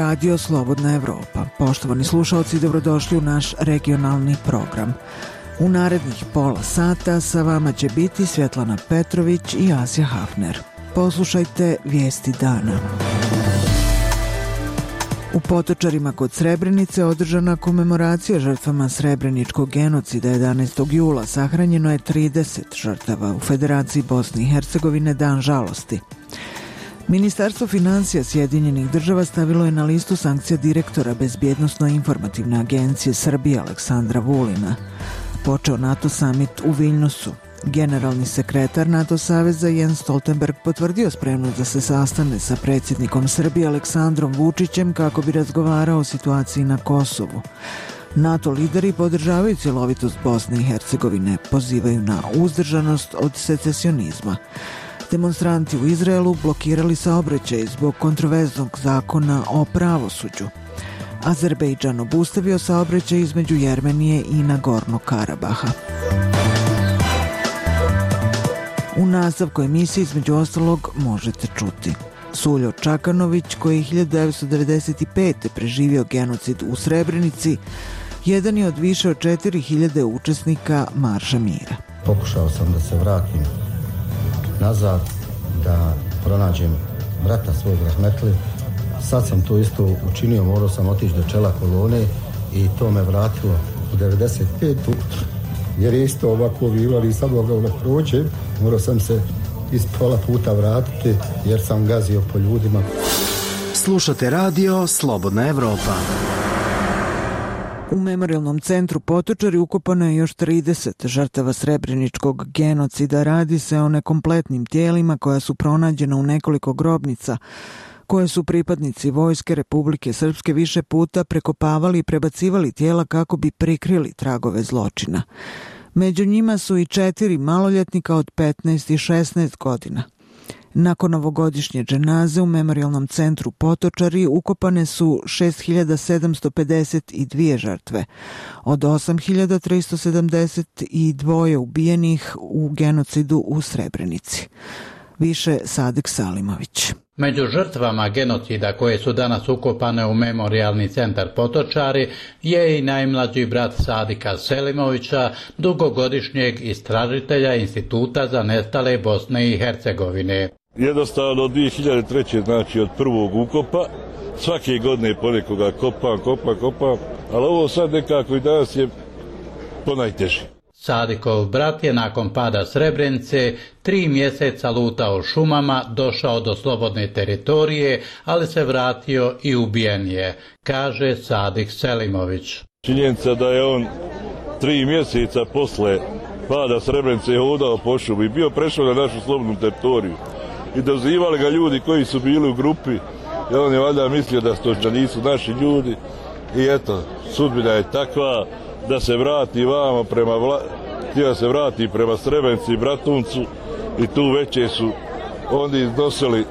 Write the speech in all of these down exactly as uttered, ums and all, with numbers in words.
Radio Slobodna Evropa. Poštovani slušalci, dobrodošli u naš regionalni program. U narednih pola sata sa vama će biti Svjetlana Petrović i Asja Hafner. Poslušajte vijesti dana. U Potočarima kod Srebrenice održana komemoracija žrtvama srebreničkog genocida jedanaestog jula. Sahranjeno je trideset žrtava. U Federaciji Bosne i Hercegovine dan žalosti. Ministarstvo financija Sjedinjenih država stavilo je na listu sankcija direktora Bezbjednosno-informativne agencije Srbije Aleksandra Vulina. Počeo NATO summit u Viljnusu. Generalni sekretar NATO saveza Jens Stoltenberg potvrdio spremnost da se sastane sa predsjednikom Srbije Aleksandrom Vučićem kako bi razgovarao o situaciji na Kosovu. NATO lideri podržavaju cjelovitost Bosne i Hercegovine, pozivaju na uzdržanost od secesionizma. Demonstranti u Izraelu blokirali saobraćaj zbog kontroverznog zakona o pravosuđu. Azerbejdžan obustavio saobraćaj između Jermenije i Nagorno Karabaha. U nastavku emisije između ostalog možete čuti: Suljo Čakanović, koji je hiljadu devetsto devedeset pete. preživio genocid u Srebrenici, jedan je od više od četiri hiljade učesnika Marša mira. Pokušao sam da se vratim nazad, da pronađem brata svog rahmetli. Sad sam to isto učinio, morao sam otići do čela kolone i to me vratilo u devedeset petu. Jer je isto ovako bilo, ali sad mogao da prođem. Morao sam se iz pola puta vratiti jer sam gazio po ljudima. Slušate radio Slobodna Evropa. U Memorijalnom centru Potočari ukopano je još trideset žrtava srebreničkog genocida. Radi se o nekompletnim tijelima koja su pronađena u nekoliko grobnica, koje su pripadnici Vojske Republike Srpske više puta prekopavali i prebacivali tijela kako bi prikrili tragove zločina. Među njima su i četiri maloljetnika od petnaest i šesnaest godina. Nakon ovogodišnje dženaze u Memorijalnom centru Potočari ukopane su šest hiljada sedamsto pedeset dvije žrtve, od osam hiljada tristo sedamdeset dva ubijenih u genocidu u Srebrenici. Više Sadek Salimović. Među žrtvama genocida koje su danas ukopane u Memorijalni centar Potočari je i najmlađi brat Sadika Selimovića, dugogodišnjeg istražitelja Instituta za nestale Bosne i Hercegovine. Jednostavno od dvije hiljade treće. znači od prvog ukopa, svake godine ponekoga kopam, kopam, kopam, ali ovo sad nekako i danas je ponajteže. Sadikov brat je nakon pada Srebrenice tri mjeseca lutao šumama, došao do slobodne teritorije, ali se vratio i ubijen je, kaže Sadik Selimović. Činjenica da je on tri mjeseca posle pada Srebrenice hodao po šumi i bio prešao na našu slobodnu teritoriju. I dozivali ga ljudi koji su bili u grupi, i on je valjda mislio da, sto, da nisu naši ljudi. I eto, sudbina je takva da se vrati vamo prema vla... htio se vrati prema Srebrenici i Bratuncu i tu veće su oni iznosili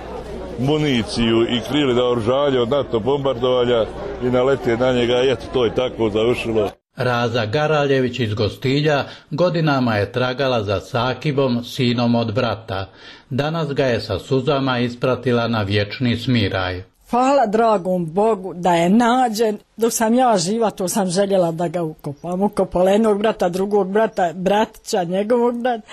municiju i krili da oružanje od NATO bombardovanja i nalete na njega i eto, to je tako završilo. Raza Garaljević iz Gostilja godinama je tragala za Sakibom, sinom od brata. Danas ga je sa suzama ispratila na vječni smiraj. Hvala dragom Bogu da je nađen. Dok sam ja živa, to sam željela da ga ukopam. Ukopala jednog brata, drugog brata, bratića, njegovog brata.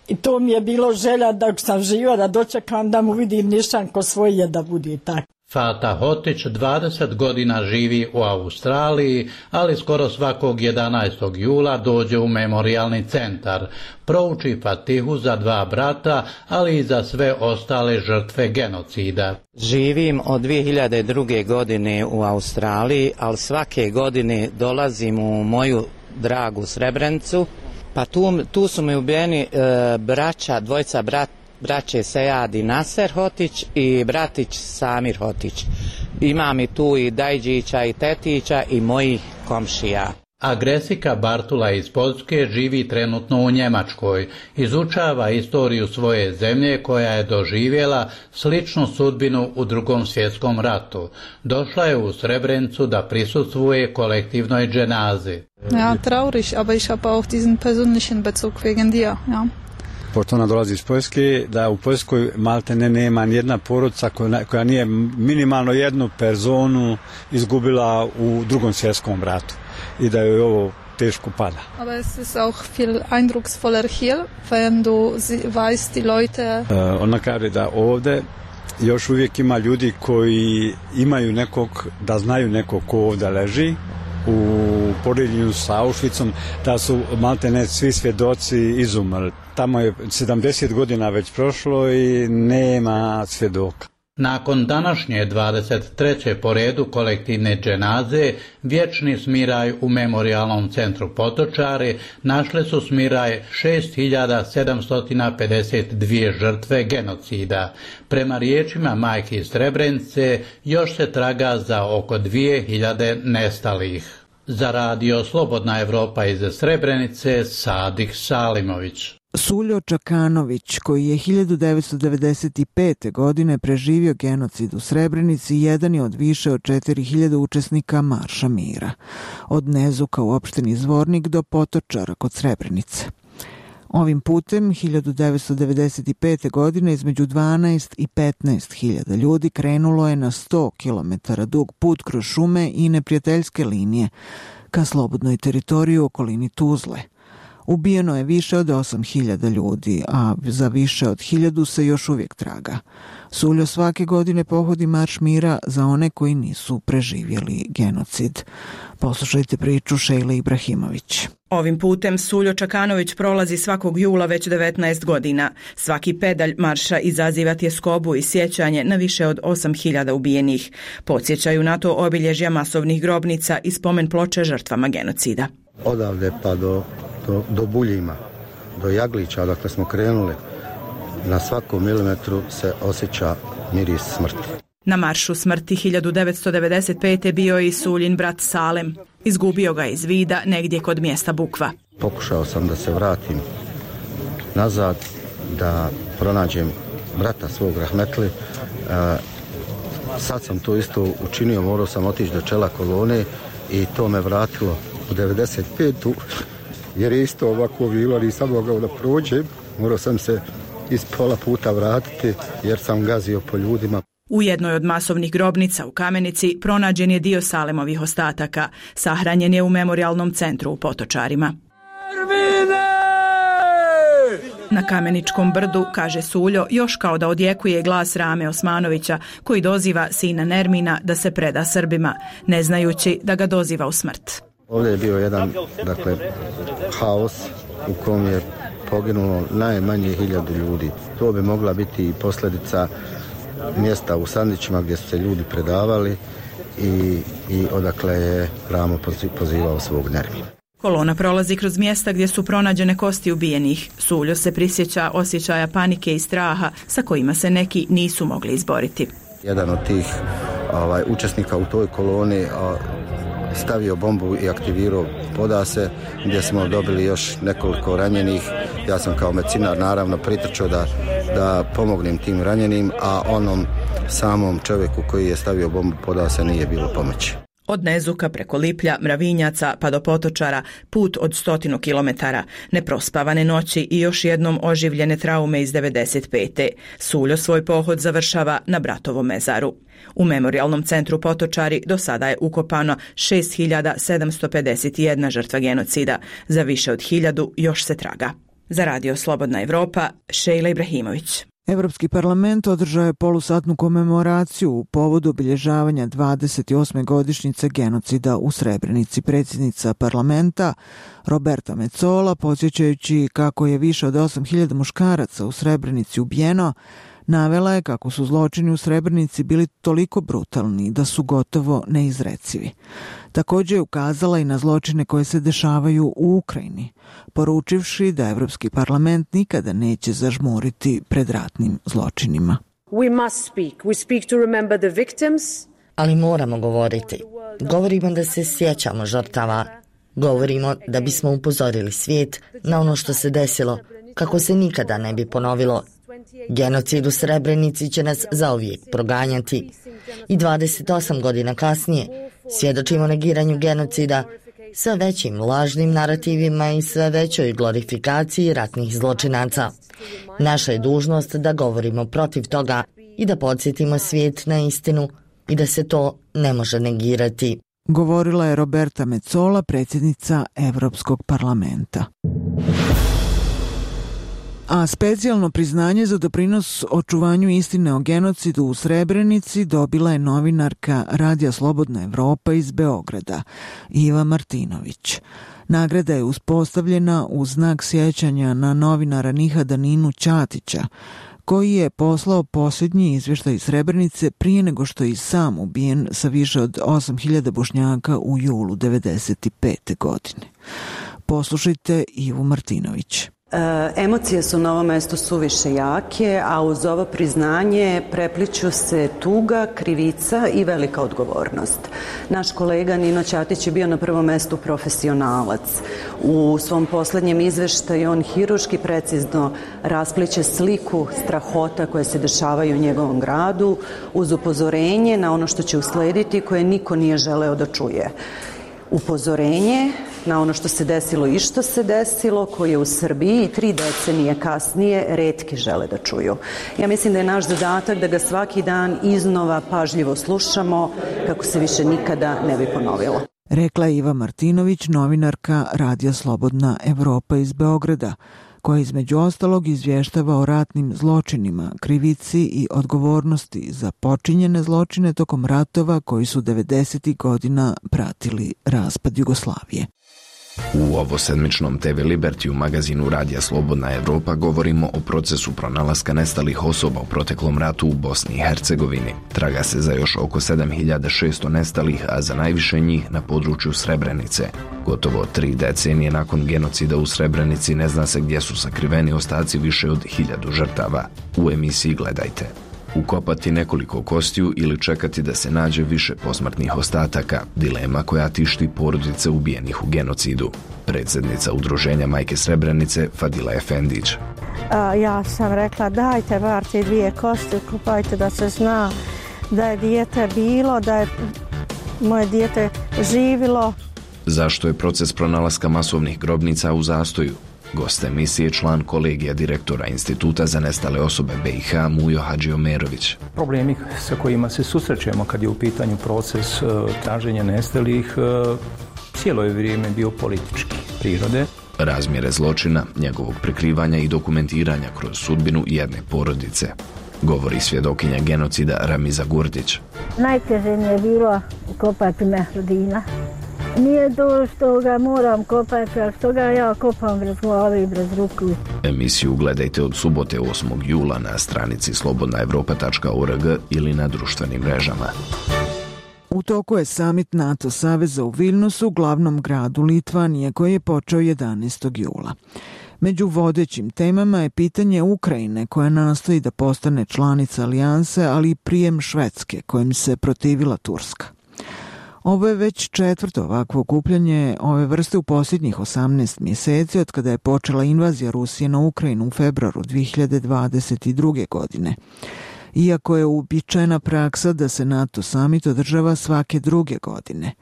I to mi je bilo želja dok sam živa da dočekam da mu vidim nišan ko svoj je da bude tako. Fata Hotić dvadeset godina živi u Australiji, ali skoro svakog jedanaestog jula dođe u Memorijalni centar. Prouči Fatihu za dva brata, ali i za sve ostale žrtve genocida. Živim od dvije hiljade druge. godine u Australiji, ali svake godine dolazim u moju dragu Srebrenicu. Pa tu, tu su mi ubijeni e, braća, dvojca brata, braće Sejad i Naser Hotić i bratić Samir Hotić. Imam i tu i Dajđića i Tetića i mojih komšija. Agresika Bartula iz Poljske živi trenutno u Njemačkoj. Izučava istoriju svoje zemlje koja je doživjela sličnu sudbinu u Drugom svjetskom ratu. Došla je u Srebrenicu da prisustvuje kolektivnoj dženazi. Ja, traurig, aber ich habe auch diesen persönlichen Bezug wegen dir, ja. pošto ona dolazi iz Poljske, da u Poljskoj malte ne nema nijedna porodica koja, koja nije minimalno jednu personu izgubila u drugom svjetskom ratu i da je ovo teško pada. Aber es ist auch viel eindrucksvoller hier, wenn du weißt die Leute. Uh, ona kaže da ovde još uvijek ima ljudi koji imaju nekog, da znaju nekog ko ovdje leži u poređenju sa Auschwitzom, da su maltene svi svjedoci izumrli. Tamo je sedamdeset godina već prošlo i nema svjedoka. Nakon današnje dvadeset treće po redu kolektivne dženaze, vječni smiraj u Memorijalnom centru Potočari našle su smiraj šest hiljada sedamsto pedeset dvije žrtve genocida. Prema riječima majki iz Srebrenice još se traga za oko dvije hiljade nestalih. Za radio Slobodna Evropa iz Srebrenice, Sadik Salimović. Suljo Čakanović, koji je hiljadu devetsto devedeset pete. godine preživio genocid u Srebrenici, jedan je od više od četiri hiljade učesnika Marša mira. Od Nezuka u opštini Zvornik do Potočara kod Srebrenice. Ovim putem, hiljadu devetsto devedeset pete. godine, između dvanaest i petnaest hiljada ljudi krenulo je na sto kilometara dug put kroz šume i neprijateljske linije ka slobodnoj teritoriji u okolini Tuzle. Ubijeno je više od osam hiljada ljudi, a za više od hiljadu se još uvijek traga. Suljo svake godine pohodi Marš mira za one koji nisu preživjeli genocid. Poslušajte priču Šejle Ibrahimović. Ovim putem Suljo Čakanović prolazi svakog jula već devetnaest godina. Svaki pedalj marša izaziva tjeskobu i sjećanje na više od osam hiljada ubijenih. Podsjećaju na to obilježja masovnih grobnica i spomen ploče žrtvama genocida. Odavde pa do, do, do Buljima, do Jaglića, odakle smo krenuli, na svakom milimetru se osjeća miris smrti. Na maršu smrti hiljadu devetsto devedeset pete. bio je i Suljin brat Salem. Izgubio ga iz vida negdje kod mjesta Bukva. Pokušao sam da se vratim nazad, da pronađem brata svog Rahmetli. E, sad sam to isto učinio, morao sam otići do čela kolone i to me vratilo u devedeset petu. jer je isto ovako bilo, nisam mogao da prođem. Morao sam se iz pola puta vratiti jer sam gazio po ljudima. U jednoj od masovnih grobnica u Kamenici pronađen je dio Salemovih ostataka. Sahranjen je u Memorijalnom centru u Potočarima. Na Kameničkom brdu, kaže Suljo, još kao da odjekuje glas Rame Osmanovića, koji doziva sina Nermina da se preda Srbima, ne znajući da ga doziva u smrt. Ovdje je bio jedan, dakle, haos u kom je poginulo najmanje hiljadu ljudi. To bi mogla biti i posljedica mjesta u Sandićima gdje su se ljudi predavali i, i odakle je Ramo pozivao svog Nermina. Kolona prolazi kroz mjesta gdje su pronađene kosti ubijenih. Suljo se prisjeća osjećaja panike i straha sa kojima se neki nisu mogli izboriti. Jedan od tih ovaj, učesnika u toj koloni a, stavio bombu i aktivirao podase gdje smo dobili još nekoliko ranjenih. Ja sam kao medicinar naravno pritrčao da, da pomognem tim ranjenim, a onom samom čovjeku koji je stavio bombu podase nije bilo pomoći. Od Nezuka preko Liplja, Mravinjaca pa do Potočara, put od stotinu kilometara, neprospavane noći i još jednom oživljene traume iz devedeset pete. Suljo svoj pohod završava na bratovom mezaru. U Memorijalnom centru Potočari do sada je ukopano šest hiljada sedamsto pedeset jedna žrtva genocida. Za više od hiljadu još se traga. Za radio Slobodna Evropa, Šejla Ibrahimović. Evropski parlament održao je polusatnu komemoraciju u povodu obilježavanja dvadeset osme godišnjice genocida u Srebrenici. Predsjednica parlamenta Roberta Metsola, podsjećajući kako je više od osam hiljada muškaraca u Srebrenici ubijeno, navela je kako su zločini u Srebrenici bili toliko brutalni da su gotovo neizrecivi. Također je ukazala i na zločine koje se dešavaju u Ukrajini, poručivši da Evropski parlament nikada neće zažmuriti pred ratnim zločinima. We must speak. We speak to remember the victims. Ali moramo govoriti. Govorimo da se sjećamo žrtava. Govorimo da bismo upozorili svijet na ono što se desilo, kako se nikada ne bi ponovilo. Genocid u Srebrenici će nas zauvijek proganjati. I dvadeset osam godina kasnije svjedočimo negiranju genocida sa većim lažnim narativima i sve većoj glorifikaciji ratnih zločinaca. Naša je dužnost da govorimo protiv toga i da podsjetimo svijet na istinu i da se to ne može negirati. Govorila je Roberta Metsola, predsjednica Evropskog parlamenta. A specijalno priznanje za doprinos očuvanju istine o genocidu u Srebrenici dobila je novinarka Radija Slobodna Evropa iz Beograda, Iva Martinović. Nagrada je uspostavljena u znak sjećanja na novinara Nihada Ninu Ćatića, koji je poslao posljednji izvještaj iz Srebrenice prije nego što je i sam ubijen sa više od osam hiljada Bošnjaka u julu devedeset pete. godine. Poslušajte Ivu Martinović. E, emocije su na ovom mjestu suviše jake, a uz ovo priznanje prepliću se tuga, krivica i velika odgovornost. Naš kolega Nino Ćatić je bio na prvom mjestu profesionalac. U svom posljednjem izveštaju on hiruški precizno raspliće sliku strahota koje se dešavaju u njegovom gradu uz upozorenje na ono što će uslediti koje niko nije želeo da čuje. Upozorenje na ono što se desilo i što se desilo, koje u Srbiji tri decenije kasnije retki žele da čuju. Ja mislim da je naš zadatak da ga svaki dan iznova pažljivo slušamo kako se više nikada ne bi ponovilo. Rekla je Iva Martinović, novinarka Radija Slobodna Evropa iz Beograda, koja između ostalog izvještava o ratnim zločinima, krivici i odgovornosti za počinjene zločine tokom ratova koji su devedesetih godina pratili raspad Jugoslavije. U ovosedmičnom te ve Liberty u magazinu Radija Slobodna Evropa govorimo o procesu pronalaska nestalih osoba u proteklom ratu u Bosni i Hercegovini. Traga se za još oko sedam hiljada šesto nestalih, a za najviše njih na području Srebrenice. Gotovo tri decenije nakon genocida u Srebrenici ne zna se gdje su sakriveni ostaci više od hiljadu žrtava. U emisiji gledajte. Ukopati nekoliko kostiju ili čekati da se nađe više posmrtnih ostataka, dilema koja tišti porodice ubijenih u genocidu. Predsjednica udruženja Majke Srebrenice Fadila Efendić. A, ja sam rekla dajte bar te dvije kosti, ukopajte da se zna da je dijete bilo, da je moje dijete živilo. Zašto je proces pronalaska masovnih grobnica u zastoju? Gost emisije, član kolegija direktora Instituta za nestale osobe be i ha Mujo Hadžiomerović. Problemi sa kojima se susrećemo kad je u pitanju proces uh, traženja nestalih uh, cijelo je vrijeme bio politički prirode. Razmjere zločina, njegovog prikrivanja i dokumentiranja kroz sudbinu jedne porodice. Govori svjedokinja genocida Ramiza Gurdić. Najteže mi je bilo kopati Mehdina. Nije to što ga moram kopati, a što ga ja kopam bez glave i bez ruku. Emisiju gledajte od subote osmog jula na stranici slobodna evropa tačka org ili na društvenim mrežama. U toku je samit NATO saveza u Vilnusu, glavnom gradu Litvanije, koji je počeo jedanaestog jula. Među vodećim temama je pitanje Ukrajine, koja nastoji da postane članica alijanse, ali i prijem Švedske, kojim se protivila Turska. Ovo je već četvrto ovakvo okupljanje ove vrste u posljednjih osamnaest mjeseci od kada je počela invazija Rusije na Ukrajinu u februaru dvije hiljade dvadeset druge. godine. Iako je uobičajena praksa da se NATO samit održava svake druge godine.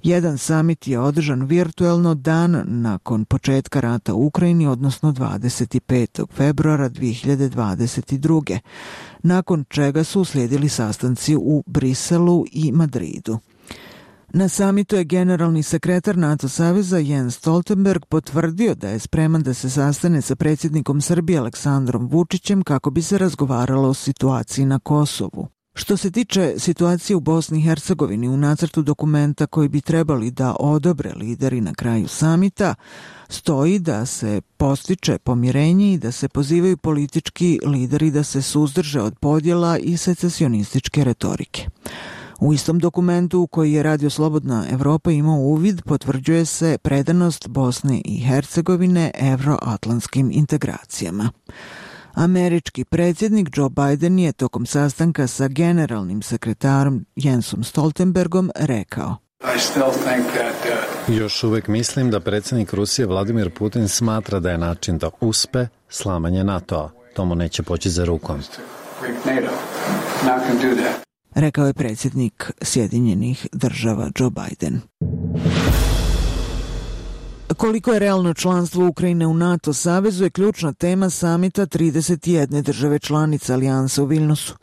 Jedan samit je održan virtuelno dan nakon početka rata u Ukrajini, odnosno dvadeset petog februara dvije hiljade dvadeset druge. nakon čega su uslijedili sastanci u Briselu i Madridu. Na samitu je generalni sekretar NATO saveza Jens Stoltenberg potvrdio da je spreman da se sastane sa predsjednikom Srbije Aleksandrom Vučićem kako bi se razgovaralo o situaciji na Kosovu. Što se tiče situacije u Bosni i Hercegovini, u nacrtu dokumenta koji bi trebali da odobre lideri na kraju samita, stoji da se postiče pomirenje i da se pozivaju politički lideri da se suzdrže od podjela i secesionističke retorike. U istom dokumentu u koji je Radio Slobodna Evropa imao uvid potvrđuje se predanost Bosne i Hercegovine evroatlantskim integracijama. Američki predsjednik Joe Biden je tokom sastanka sa generalnim sekretarom Jensom Stoltenbergom rekao: Još uvijek mislim da predsjednik Rusije Vladimir Putin smatra da je način da uspe slamanje NATO-a. To mu neće poći za rukom. Rekao je predsjednik Sjedinjenih država Joe Biden. Koliko je realno članstvo Ukrajine u NATO savezu je ključna tema samita trideset jedne države članice alijanse u Vilnusu.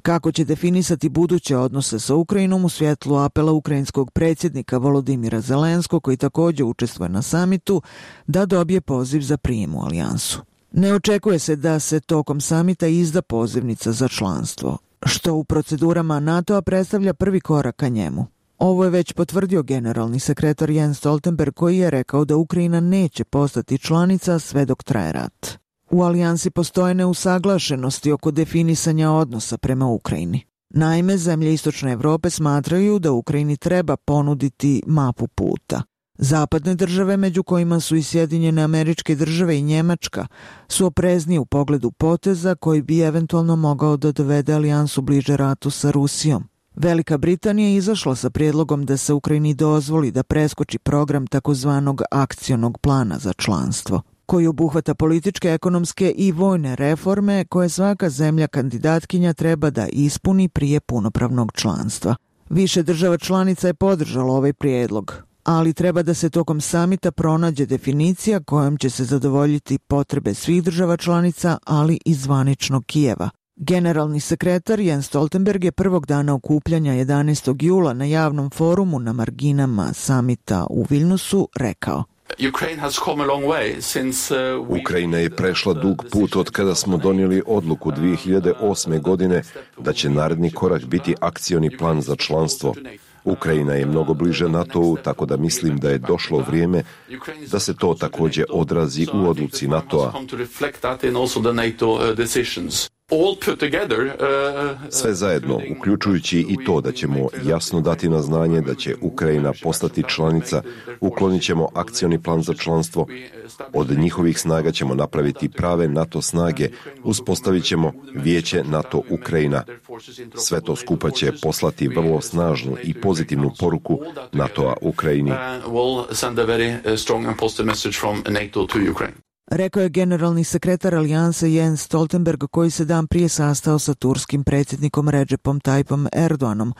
Kako će definisati buduće odnose sa Ukrajinom u svjetlu apela ukrajinskog predsjednika Volodimira Zelenskog, koji također učestvuje na samitu, da dobije poziv za prijem u alijansu. Ne očekuje se da se tokom samita izda pozivnica za članstvo, što u procedurama NATO-a predstavlja prvi korak ka njemu. Ovo je već potvrdio generalni sekretar Jens Stoltenberg, koji je rekao da Ukrajina neće postati članica sve dok traje rat. U alijansi postoje neusaglašenosti oko definisanja odnosa prema Ukrajini. Naime, zemlje Istočne Evrope smatraju da Ukrajini treba ponuditi mapu puta. Zapadne države, među kojima su i Sjedinjene Američke Države i Njemačka, su opreznije u pogledu poteza koji bi eventualno mogao da dovede alijansu bliže ratu sa Rusijom. Velika Britanija je izašla sa prijedlogom da se Ukrajini dozvoli da preskoči program takozvanog akcionog plana za članstvo, koji obuhvata političke, ekonomske i vojne reforme koje svaka zemlja kandidatkinja treba da ispuni prije punopravnog članstva. Više država članica je podržalo ovaj prijedlog, ali treba da se tokom samita pronađe definicija kojom će se zadovoljiti potrebe svih država članica, ali i zvaničnog Kijeva. Generalni sekretar Jens Stoltenberg je prvog dana okupljanja jedanaestog jula na javnom forumu na marginama samita u Vilnusu rekao: Ukrajina je prešla dug put od kada smo donijeli odluku dvije hiljade osme. godine da će naredni korak biti akcioni plan za članstvo. Ukrajina je mnogo bliže NATO-u, tako da mislim da je došlo vrijeme da se to također odrazi u odluci NATO-a. Sve zajedno, uključujući i to da ćemo jasno dati na znanje da će Ukrajina postati članica, uklonit ćemo akcioni plan za članstvo, od njihovih snaga ćemo napraviti prave NATO snage, uspostavit ćemo vijeće NATO Ukrajina. Sve to skupa će poslati vrlo snažnu i pozitivnu poruku NATO-a Ukrajini. Rekao je generalni sekretar alijanse Jens Stoltenberg, koji se dan prije sastao sa turskim predsjednikom Recepom Tayyipom Erdoganom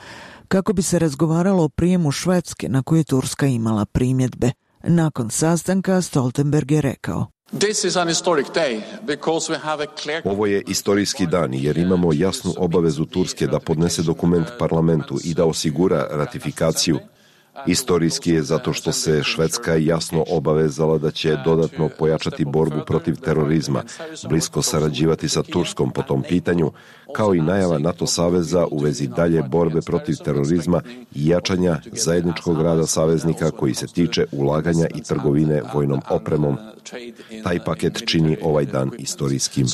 kako bi se razgovaralo o prijemu Švedske na koju je Turska imala primjedbe. Nakon sastanka Stoltenberg je rekao: Ovo je istorijski dan jer imamo jasnu obavezu Turske da podnese dokument parlamentu i da osigura ratifikaciju. Istorijski je zato što se Švedska jasno obavezala da će dodatno pojačati borbu protiv terorizma, blisko sarađivati sa Turskom po tom pitanju, kao i najava NATO saveza u vezi dalje borbe protiv terorizma i jačanja zajedničkog rada saveznika koji se tiče ulaganja i trgovine vojnom opremom. Taj paket čini ovaj dan istorijskim.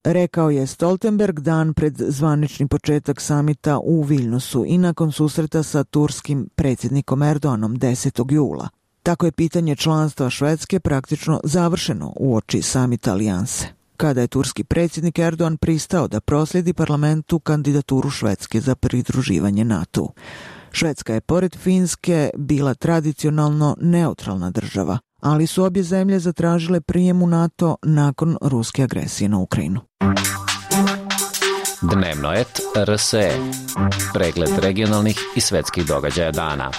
Rekao je Stoltenberg dan pred zvanični početak samita u Vilnusu i nakon susreta sa turskim predsjednikom Erdoganom desetog jula. Tako je pitanje članstva Švedske praktično završeno uoči samita alijanse, kada je turski predsjednik Erdogan pristao da proslijedi parlamentu kandidaturu Švedske za pridruživanje NATO-u. Švedska je pored Finske bila tradicionalno neutralna država, ali su obje zemlje zatražile prijem u NATO nakon ruske agresije na Ukrajinu. Dnevno et R S E. Pregled regionalnih i svetskih događaja dana.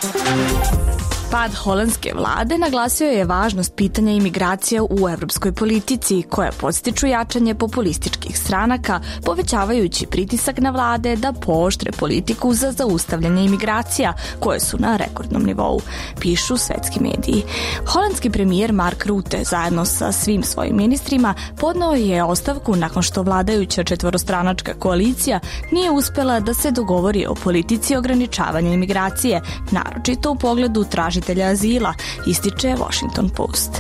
Pad holandske vlade naglasio je važnost pitanja imigracija u evropskoj politici, koja podstiču jačanje populističkih stranaka, povećavajući pritisak na vlade da pooštre politiku za zaustavljanje imigracija, koje su na rekordnom nivou, pišu svetski mediji. Holandski premijer Mark Rutte zajedno sa svim svojim ministrima podneo je ostavku nakon što vladajuća četvorostranačka koalicija nije uspela da se dogovori o politici ograničavanja imigracije, naročito u pogledu traženja tražitelja azila, ističe Washington Post.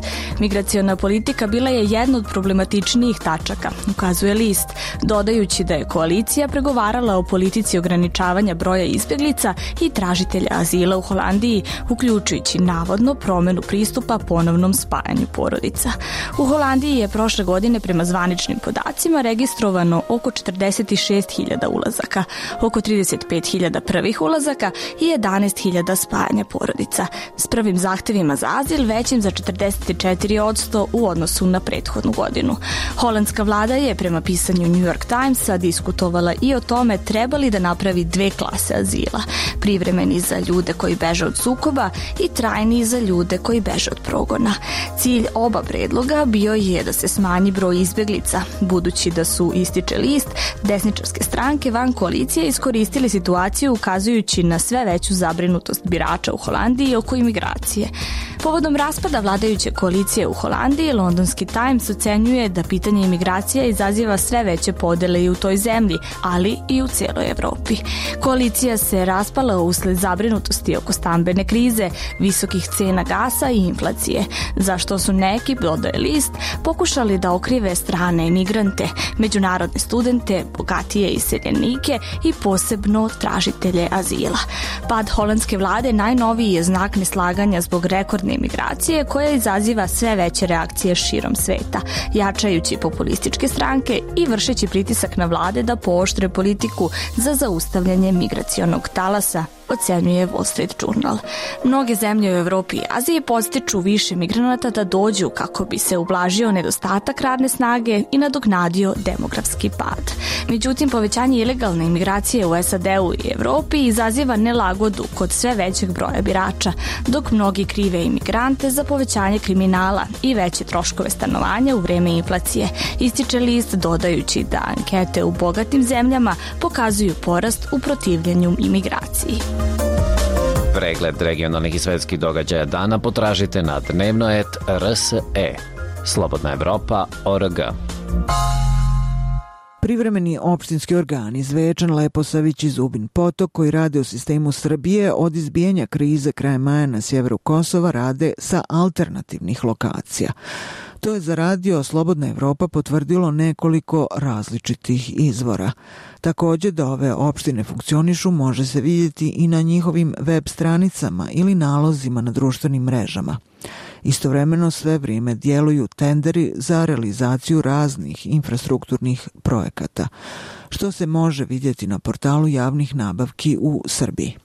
Migraciona politika bila je jedna od problematičnijih tačaka, ukazuje list, dodajući da je koalicija pregovarala o politici ograničavanja broja izbjeglica i tražitelja azila u Holandiji, uključujući navodno promjenu pristupa ponovnom spajanju porodica. U Holandiji je prošle godine prema zvaničnim podacima registrovano oko četrdeset šest hiljada ulazaka, oko trideset pet hiljada prvih ulazaka i jedanaest hiljada spajanja porodica. s prvim zahtevima za azil većim za četrdeset četiri posto u odnosu na prethodnu godinu. Holandska vlada je prema pisanju New York Timesa diskutovala i o tome treba li da napravi dve klase azila, privremeni za ljude koji beže od sukoba i trajni za ljude koji beže od progona. Cilj oba predloga bio je da se smanji broj izbjeglica, budući da su, ističe list, desničarske stranke van koalicije iskoristili situaciju ukazujući na sve veću zabrinutost birača u Holandiji oko imigracije. Povodom raspada vladajuće koalicije u Holandiji, Londonski Times ocenjuje da pitanje imigracija izaziva sve veće podele i u toj zemlji, ali i u cijeloj Evropi. Koalicija se raspala usled zabrinutosti oko stambene krize, visokih cena gasa i inflacije, zašto su neki, dodaje list, pokušali da okrive strane emigrante, međunarodne studente, bogatije iseljenike i posebno tražitelje azila. Pad holandske vlade najnoviji je znak neslaganja zbog rekordne imigracije koja izaziva sve veće reakcije širom sveta, jačajući populističke stranke i vršeći pritisak na vlade da pooštre politiku za zaustavljanje migracionog talasa, ocenjuje Wall Street Journal. Mnoge zemlje u Evropi i Aziji podstiču više migranata da dođu kako bi se ublažio nedostatak radne snage i nadoknadio demografski pad. Međutim, povećanje ilegalne imigracije u S A D-u i Evropi izaziva nelagodu kod sve većeg broja birača, dok mnogi krive imigrante za povećanje kriminala i veće troškove stanovanja u vreme inflacije, ističe list dodajući da ankete u bogatim zemljama pokazuju porast u protivljenju imigraciji. Pregled regionalnih i svetskih događaja dana potražite na dnevno et R S E. Slobodna Evropa точка о р г. Privremeni opštinski organi Zvečan, Leposavić i Zubin Potok koji rade u sistemu Srbije od izbijanja krize krajem maja na sjeveru Kosova rade sa alternativnih lokacija. To je za radio Slobodna Evropa potvrdilo nekoliko različitih izvora. Također da ove opštine funkcionišu može se vidjeti i na njihovim web stranicama ili nalozima na društvenim mrežama. Istovremeno sve vrijeme djeluju tenderi za realizaciju raznih infrastrukturnih projekata, što se može vidjeti na portalu javnih nabavki u Srbiji.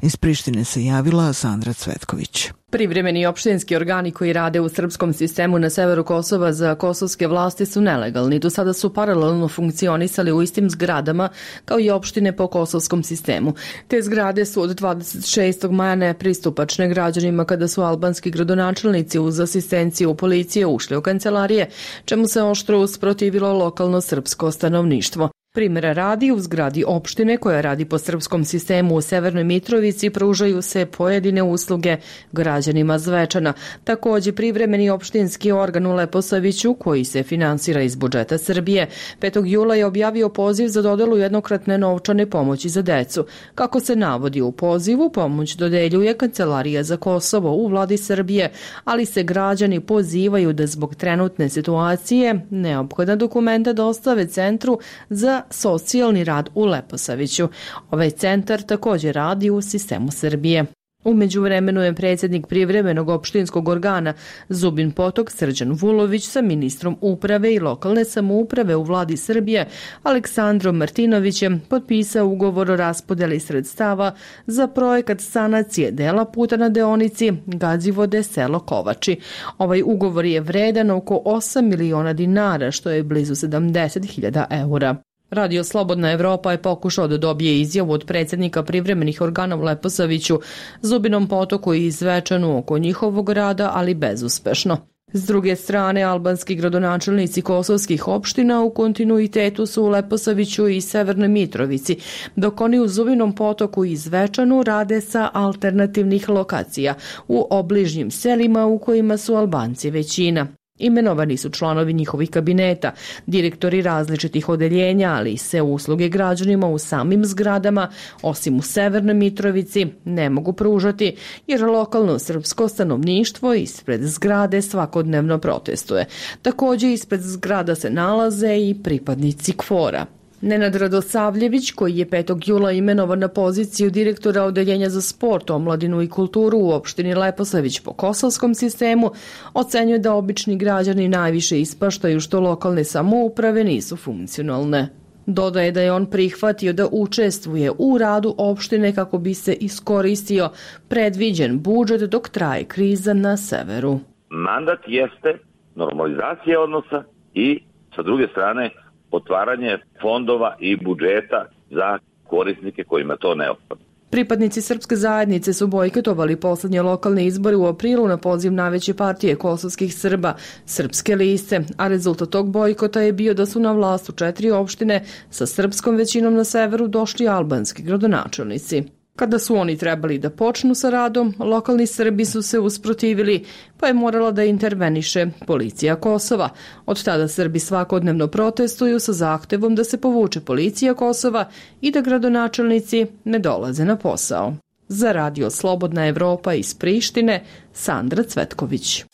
Iz Prištine se javila Sandra Cvetković. Privremeni opštinski organi koji rade u srpskom sistemu na severu Kosova za kosovske vlasti su nelegalni. Do sada su paralelno funkcionisali u istim zgradama kao i opštine po kosovskom sistemu. Te zgrade su od dvadeset šestog maja nepristupačne građanima kada su albanski gradonačelnici uz asistenciju policije ušli u kancelarije, čemu se oštro usprotivilo lokalno srpsko stanovništvo. Primjera radi, u zgradi opštine koja radi po srpskom sistemu u Severnoj Mitrovici pružaju se pojedine usluge građanima Zvečana. Također privremeni opštinski organ u Leposaviću koji se finansira iz budžeta Srbije petog jula je objavio poziv za dodelu jednokratne novčane pomoći za decu. Kako se navodi u pozivu, pomoć dodeljuje Kancelarija za Kosovo u vladi Srbije, ali se građani pozivaju da zbog trenutne situacije neophodna dokumenta dostave Centru za socijalni rad u Leposaviću. Ovaj centar također radi u sistemu Srbije. U međuvremenu je predsjednik privremenog opštinskog organa Zubin Potok Srđan Vulović sa ministrom uprave i lokalne samouprave u vladi Srbije Aleksandrom Martinovićem potpisao ugovor o raspodeli sredstava za projekat sanacije dela puta na deonici Gazivode selo Kovači. Ovaj ugovor je vredan oko osam miliona dinara, što je blizu sedamdeset hiljada eura. Radio Slobodna Evropa je pokušao da dobije izjavu od predsjednika privremenih organa u Leposaviću, Zubinom Potoku i Zvečanu oko njihovog rada, ali bezuspešno. S druge strane, albanski gradonačelnici kosovskih opština u kontinuitetu su u Leposaviću i Severnoj Mitrovici, dok oni u Zubinom Potoku i Zvečanu rade sa alternativnih lokacija u obližnjim selima u kojima su Albanci većina. Imenovani su članovi njihovih kabineta, direktori različitih odeljenja, ali i sve usluge građanima u samim zgradama, osim u Severnoj Mitrovici, ne mogu pružati, jer lokalno srpsko stanovništvo ispred zgrade svakodnevno protestuje. Također ispred zgrada se nalaze i pripadnici KFOR-a. Nenad Radosavljević, koji je petog jula imenovan na poziciju direktora Odeljenja za sport, omladinu i kulturu u opštini Leposavić po kosovskom sistemu, ocenjuje da obični građani najviše ispaštaju što lokalne samouprave nisu funkcionalne. Dodaje da je on prihvatio da učestvuje u radu opštine kako bi se iskoristio predviđen budžet dok traje kriza na severu. Mandat jeste normalizacija odnosa i sa druge strane otvaranje fondova i budžeta za korisnike kojima to neophodno. Pripadnici srpske zajednice su bojkotovali poslednje lokalne izbore u aprilu na poziv najveće partije kosovskih Srba, Srpske liste, a rezultat tog bojkota je bio da su na vlast u četiri opštine sa srpskom većinom na severu došli albanski gradonačelnici. Kada su oni trebali da počnu sa radom, lokalni Srbi su se usprotivili, pa je morala da interveniše policija Kosova. Od tada Srbi svakodnevno protestuju sa zahtevom da se povuče policija Kosova i da gradonačelnici ne dolaze na posao. Za radio Slobodna Evropa iz Prištine, Sandra Cvetković.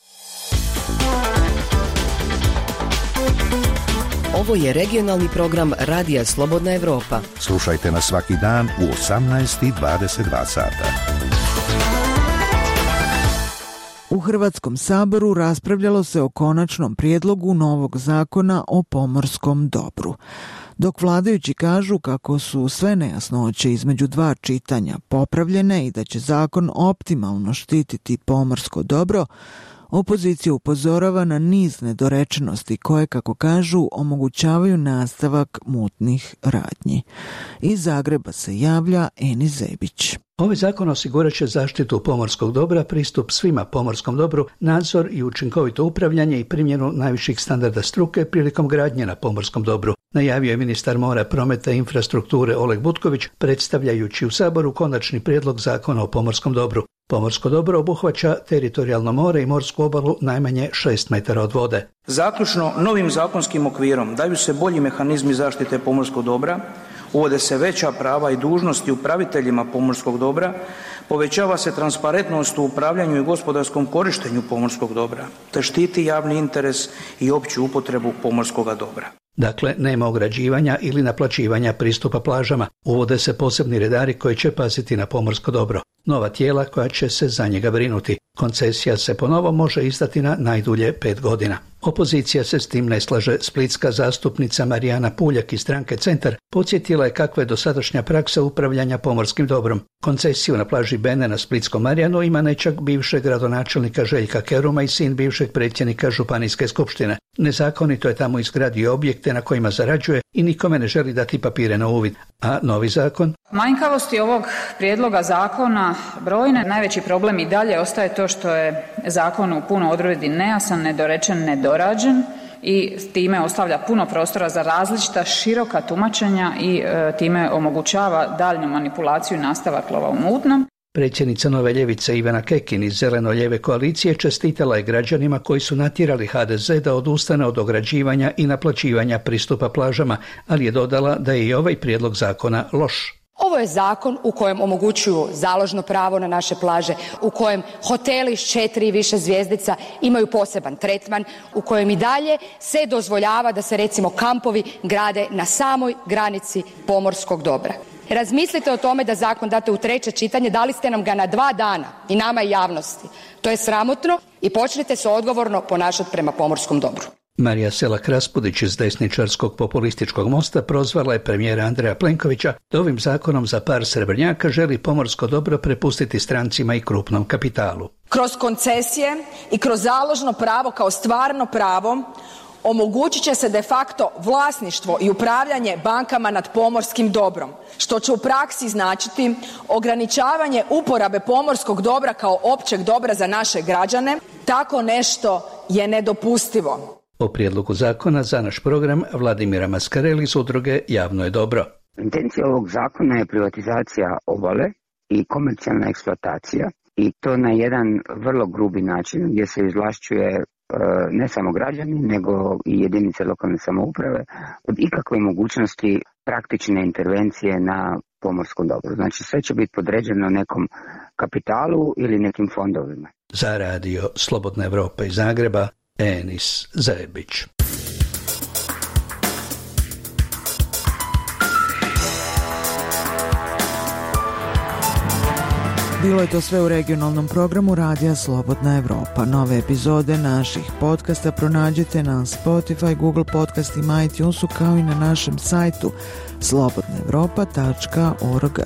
Ovo je regionalni program Radija Slobodna Evropa. Slušajte nas svaki dan u osamnaest i dvadeset dva sata. U Hrvatskom saboru raspravljalo se o konačnom prijedlogu novog zakona o pomorskom dobru. Dok vladajući kažu kako su sve nejasnoće između dva čitanja popravljene i da će zakon optimalno štititi pomorsko dobro, opozicija upozorava na niz nedorečenosti koje, kako kažu, omogućavaju nastavak mutnih radnji. Iz Zagreba se javlja Eni Zebić. Ovaj zakon osigurat će zaštitu pomorskog dobra, pristup svima pomorskom dobru, nadzor i učinkovito upravljanje i primjenu najviših standarda struke prilikom gradnje na pomorskom dobru, najavio je ministar mora, prometa i infrastrukture Oleg Butković, predstavljajući u Saboru konačni prijedlog zakona o pomorskom dobru. Pomorsko dobro obuhvaća teritorijalno more i morsku obalu najmanje šest metara od vode. Zaključno, novim zakonskim okvirom daju se bolji mehanizmi zaštite pomorskog dobra, uvode se veća prava i dužnosti upraviteljima pomorskog dobra, povećava se transparentnost u upravljanju i gospodarskom korištenju pomorskog dobra, te štiti javni interes i opću upotrebu pomorskog dobra. Dakle, nema ograđivanja ili naplaćivanja pristupa plažama. Uvode se posebni redari koji će paziti na pomorsko dobro. Nova tijela koja će se za njega brinuti. Koncesija se ponovo može izdati na najdulje pet godina. Opozicija se s tim ne slaže. Splitska zastupnica Marijana Puljak iz stranke Centar podsjetila je kakva je dosadašnja praksa upravljanja pomorskim dobrom. Koncesiju na plaži Bene na Splitskom Marijanu ima nečak bivšeg gradonačelnika Željka Keruma i sin bivšeg predsjednika Županijske skupštine. Nezakonito je tamo izgradio objekte na kojima zarađuje i nikome ne želi dati papire na uvid. A novi zakon? Manjkavosti ovog prijedloga zakona brojne. Najveći problem i dalje ostaje to što je zakon u puno odredbi nejasan, nedorečen, nedorađen i time ostavlja puno prostora za različita široka tumačenja i e, time omogućava daljnju manipulaciju i nastavak lova u mutnom. Predsjednica Nove ljevice Ivana Kekin iz Zeleno-lijeve koalicije čestitala je građanima koji su natjerali ha de ze da odustane od ograđivanja i naplaćivanja pristupa plažama, ali je dodala da je i ovaj prijedlog zakona loš. Ovo je zakon u kojem omogućuju založno pravo na naše plaže, u kojem hoteli s četiri i više zvjezdica imaju poseban tretman, u kojem i dalje se dozvoljava da se recimo kampovi grade na samoj granici pomorskog dobra. Razmislite o tome da zakon date u treće čitanje, dali ste nam ga na dva dana i nama i javnosti. To je sramotno i počnite se odgovorno ponašati prema pomorskom dobru. Marija Selak Raspudić iz desničarskog populističkog mosta prozvala je premijera Andreja Plenkovića da ovim zakonom za par srebrnjaka želi pomorsko dobro prepustiti strancima i krupnom kapitalu. Kroz koncesije i kroz založno pravo kao stvarno pravo omogućit će se de facto vlasništvo i upravljanje bankama nad pomorskim dobrom, što će u praksi značiti ograničavanje uporabe pomorskog dobra kao općeg dobra za naše građane. Tako nešto je nedopustivo. O prijedlogu zakona za naš program Vladimira Maskareli iz udruge Javno je dobro. Intencija ovog zakona je privatizacija obale i komercijalna eksploatacija i to na jedan vrlo grubi način gdje se izvlašćuje ne samo građani, nego i jedinice lokalne samouprave od ikakve mogućnosti praktične intervencije na pomorskom dobru. Znači sve će biti podređeno nekom kapitalu ili nekim fondovima. Za radio Slobodna Evropa iz Zagreba, Enis Zebić. Bilo je to sve u regionalnom programu Radija Slobodna Evropa. Nove epizode naših podcasta pronađite na Spotify, Google podcastima, iTunesu kao i na našem sajtu slobodna evropa tačka org.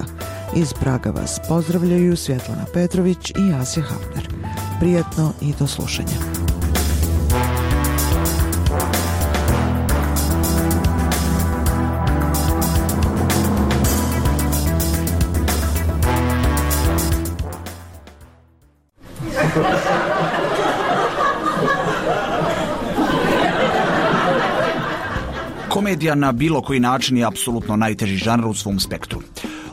Iz Praga vas pozdravljaju Svjetlana Petrović i Asja Hafner. Prijatno i do slušanja. Komedija na bilo koji način je apsolutno najteži žanr u svom spektru.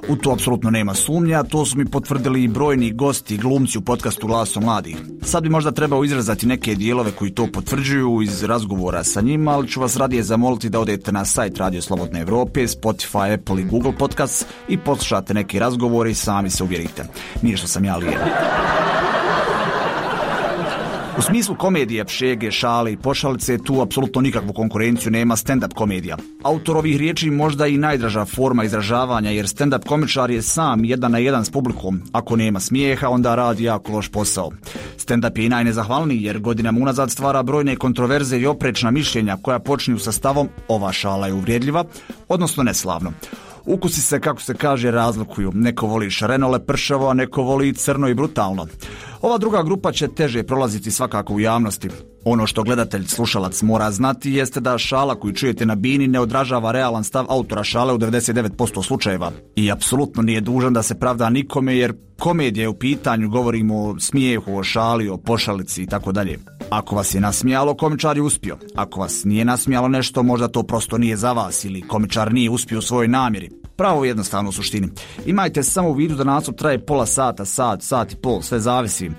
U to apsolutno nema sumnja, to su mi potvrdili i brojni gosti i glumci u podcastu Glasom mladih. Sad bi možda trebao izrazati neke dijelove koji to potvrđuju iz razgovora sa njima, ali ću vas radije zamoliti da odete na sajt Radio Slobodne Evrope, Spotify, Apple i Google Podcasts i poslušate neke razgovore i sami se uvjerite. Nije što sam ja lijen. U smislu komedije, šege, šale i pošalice tu apsolutno nikakvu konkurenciju nema stand-up komedija. Autor ovih riječi možda i najdraža forma izražavanja, jer stand-up komičar je sam jedan na jedan s publikom. Ako nema smijeha, onda radi jako loš posao. Stand-up je i najnezahvalniji jer godinama unazad stvara brojne kontroverze i oprečna mišljenja koja počinju sa stavom ova šala je uvrijedljiva, odnosno neslavno. Ukusi se, kako se kaže, razlikuju. Neko voli šareno lepršavo, a neko voli crno i brutalno. Ova druga grupa će teže prolaziti svakako u javnosti. Ono što gledatelj, slušalac mora znati jeste da šala koju čujete na bini ne odražava realan stav autora šale u devedeset devet posto slučajeva. I apsolutno nije dužan da se pravda nikome jer komedija je u pitanju, govorimo o smijehu, o šali, o pošalici i tako dalje. Ako vas je nasmijalo, komičar je uspio. Ako vas nije nasmijalo nešto, možda to prosto nije za vas ili komičar nije uspio u svojoj namjeri. Pravo jednostavno u suštini. Imajte samo u vidu da nastup traje pola sata, sat, sat i pol, sve zavisi.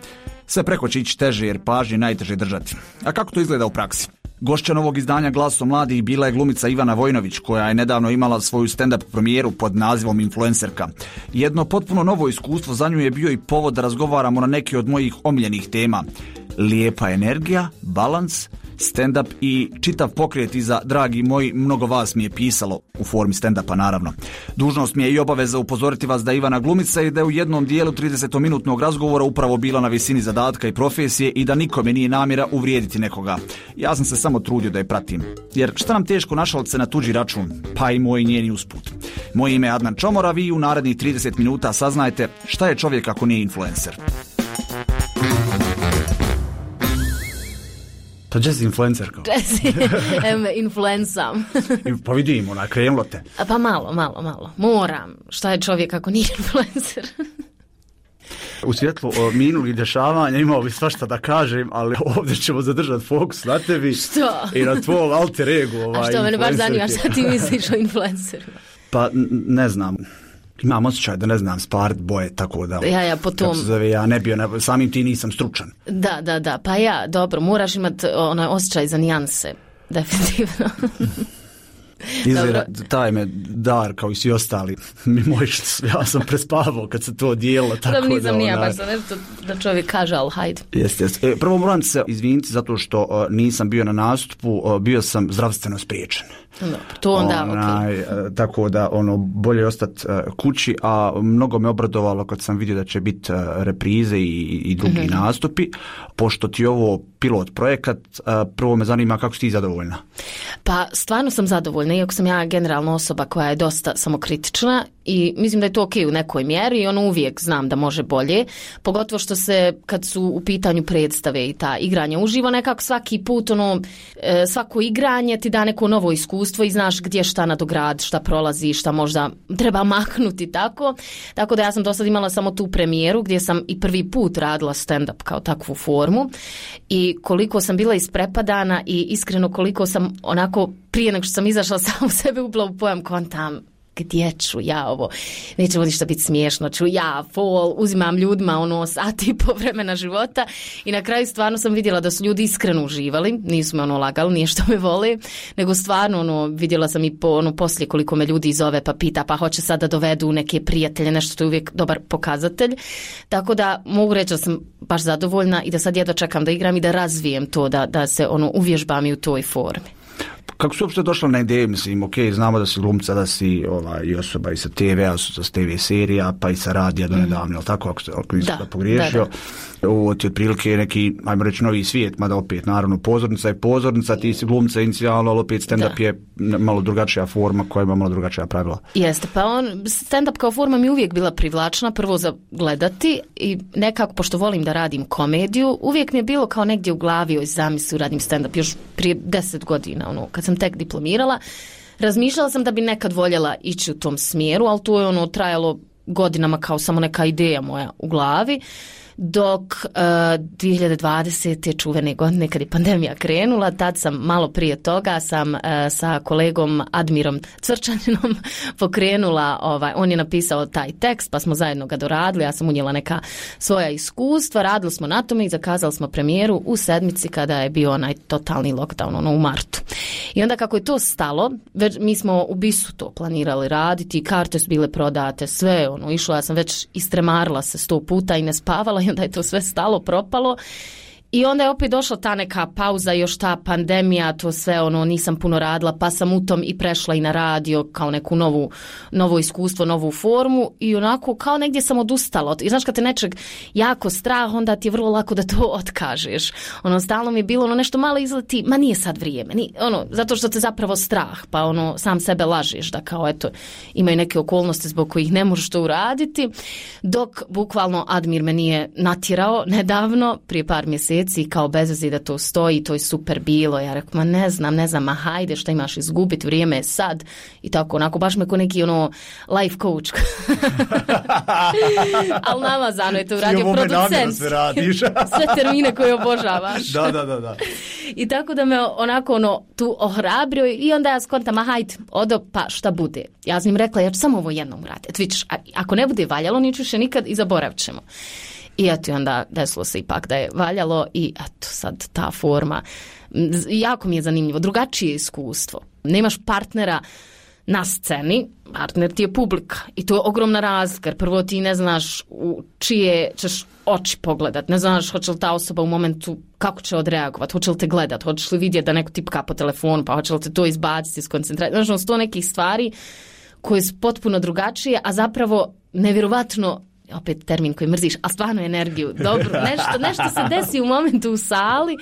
Sve preko će ići teže jer pažnje najteže držati. A kako to izgleda u praksi? Gošća novog izdanja Glasom mladih bila je glumica Ivana Vojnović, koja je nedavno imala svoju stand-up premijeru pod nazivom Influencerka. Jedno potpuno novo iskustvo za nju je bio i povod da razgovaramo na neke od mojih omiljenih tema. Lijepa energija, balans, stand-up i čitav pokret iza dragi moji, mnogo vas mi je pisalo, u formi stand-upa naravno. Dužnost mi je i obaveza upozoriti vas da je Ivana glumica i da je u jednom dijelu tridesetminutnog razgovora upravo bila na visini zadatka i profesije i da nikome nije namjera uvrijediti nekoga. Ja sam se samo trudio da je pratim. Jer šta nam teško našalit se na tuđi račun, pa i moj njeni usput. Moje ime je Adnan Čomor, a vi u narednih trideset minuta saznajte šta je čovjek ako nije influencer. To jazz influencer kao? Jazz, influencam. Pa vidim, ona, krenulo te. Pa malo, malo, malo. Moram. Šta je čovjek ako nije influencer? U svjetlu minulih dešavanja imao bi svašta da kažem, ali ovdje ćemo zadržati fokus na tebi. Što? I na tvoj alter ego. Ovaj, a što, mene baš zanima šta ti misliš o influenceru? Pa, ne znam. Imam osjećaj da ne znam sparit boje, tako da... Ja, ja, potom... Kako se zove, ja ne bio, samim ti nisam stručan. Da, da, da, pa ja, dobro, moraš imati onaj osjećaj za nijanse, definitivno. Izgleda, taj me dar kao i svi ostali mi moj, ja sam prespavao kad se to odijelo, tako da... nisam da, nija onaj... baš za nešto da čovjek kaže, ali hajde. Jeste, jeste. E, prvo moram se izviniti zato što uh, nisam bio na nastupu, uh, bio sam zdravstveno spriječen. Dobro, to onda, onaj, okay. Tako da, ono, bolje je ostati uh, kući, a mnogo me obradovalo kad sam vidio da će biti uh, reprize i, i drugi mm-hmm. nastupi. Pošto ti ovo pilot projekat, uh, prvo me zanima kako si ti zadovoljna? Pa, stvarno sam zadovoljna, iako sam ja generalno osoba koja je dosta samokritična i mislim da je to ok u nekoj mjeri i ono uvijek znam da može bolje, pogotovo što se kad su u pitanju predstave i ta igranja uživo, nekako svaki put ono, svako igranje ti da neko novo iskustvo i znaš gdje šta nadograd, šta prolazi, šta možda treba maknuti tako, tako da ja sam do sad imala samo tu premijeru gdje sam i prvi put radila stand-up kao takvu formu i koliko sam bila isprepadana i iskreno koliko sam onako prije nego što sam izašla sam u sebe upla u pojam kontam gdje ću ja ovo, neće ništa biti smiješno, ću ja fol, uzimam ljudima ono sati i po vremena života i na kraju stvarno sam vidjela da su ljudi iskreno uživali, nisu me ono lagali, nije što me vole, nego stvarno ono, vidjela sam i po, ono, poslije koliko me ljudi zove pa pita pa hoće sad da dovedu neke prijatelje, nešto što je uvijek dobar pokazatelj, tako da mogu reći da sam baš zadovoljna i da sad jedva čekam da igram i da razvijem to, da, da se ono uvježbam i u toj formi. kako su uopšte došla na ideju, mislim, ok, znamo da si glumca, da si ovaj, i osoba i sa te ve-a, sa te ve serija, pa i sa radija do nedavno, mm. ali tako, ako, ako nisam da, da pogriješio. Da, da. Ovo ti otprilike neki, ajmo reći, novi svijet, mada opet, naravno, pozornica je pozornica, ti si glumca inicijalno, ali opet stand-up da. je malo drugačija forma koja ima malo drugačija pravila. Jeste, pa on, stand-up kao forma mi uvijek bila privlačna, prvo za gledati i nekako, pošto volim da radim komediju, uvijek mi je bilo kao negdje u glavi oj zamisli radim stand-up, još prije deset godina, ono, kad sam tek diplomirala, razmišljala sam da bi nekad voljela ići u tom smjeru, ali to je ono trajalo godinama kao samo neka ideja moja u glavi, dok uh, dvije hiljade dvadesete čuvene godine kad je pandemija krenula, tad sam malo prije toga sam uh, sa kolegom Admirom Cvrčaninom pokrenula, ovaj, on je napisao taj tekst pa smo zajedno ga doradili, ja sam unijela neka svoja iskustva, radili smo na tome i zakazali smo premijeru u sedmici kada je bio onaj totalni lockdown, ono u martu. I onda kako je to stalo, već, mi smo u Bisu to planirali raditi, karte su bile prodate, sve ono, išlo, ja sam već istremarila se sto puta i ne spavala i onda je to sve stalo, propalo. I onda je opet došla ta neka pauza, još ta pandemija, to sve ono, nisam puno radila, pa sam u tom i prešla i na radio kao neku novu, novo iskustvo, novu formu i onako kao negdje sam odustala. I znaš kad te nečeg jako strah, onda ti je vrlo lako da to otkažeš. Ono, stalno mi je bilo ono nešto malo izleti, ma nije sad vrijeme, nije, ono, zato što te zapravo strah, pa ono, sam sebe lažeš da kao eto, imaju neke okolnosti zbog kojih ne možeš to uraditi, dok bukvalno Admir me nije natjerao nedavno, prije par mjeseci, kao bezvezi da to stoji, to je super bilo. Ja rekao, ma ne znam, ne znam, ma hajde, šta imaš izgubiti, vrijeme je sad. I tako, onako, baš me ko neki ono life coach. Ali namazano je to uradio producent. Sve radiš. Sve termine koje obožavaš. Da, da, da, da. I tako da me onako ono tu ohrabrio i onda ja skontam, ma hajde, odo, pa šta bude. Ja sam im rekla, ja ću samo ovo jednom uraditi. Eto, vidiš, ako ne bude valjalo, niću više nikad i zaboravit ćemo. I eto, onda desilo se ipak da je valjalo i eto sad ta forma. Jako mi je zanimljivo, drugačije iskustvo. Nemaš partnera na sceni, partner ti je publika i to je ogromna razlika. Prvo ti ne znaš u čije ćeš oči pogledat, ne znaš hoće li ta osoba u momentu kako će odreagovati, hoće li te gledat, hoćeš li vidjeti da neko tipka po telefonu, pa hoće li te to izbaciti iz koncentracije. Znaš, sto nekih stvari koje su potpuno drugačije, a zapravo nevjerovatno, opet termin koji mrziš, a stvarno energiju, dobro, nešto, nešto se desi u momentu u sali,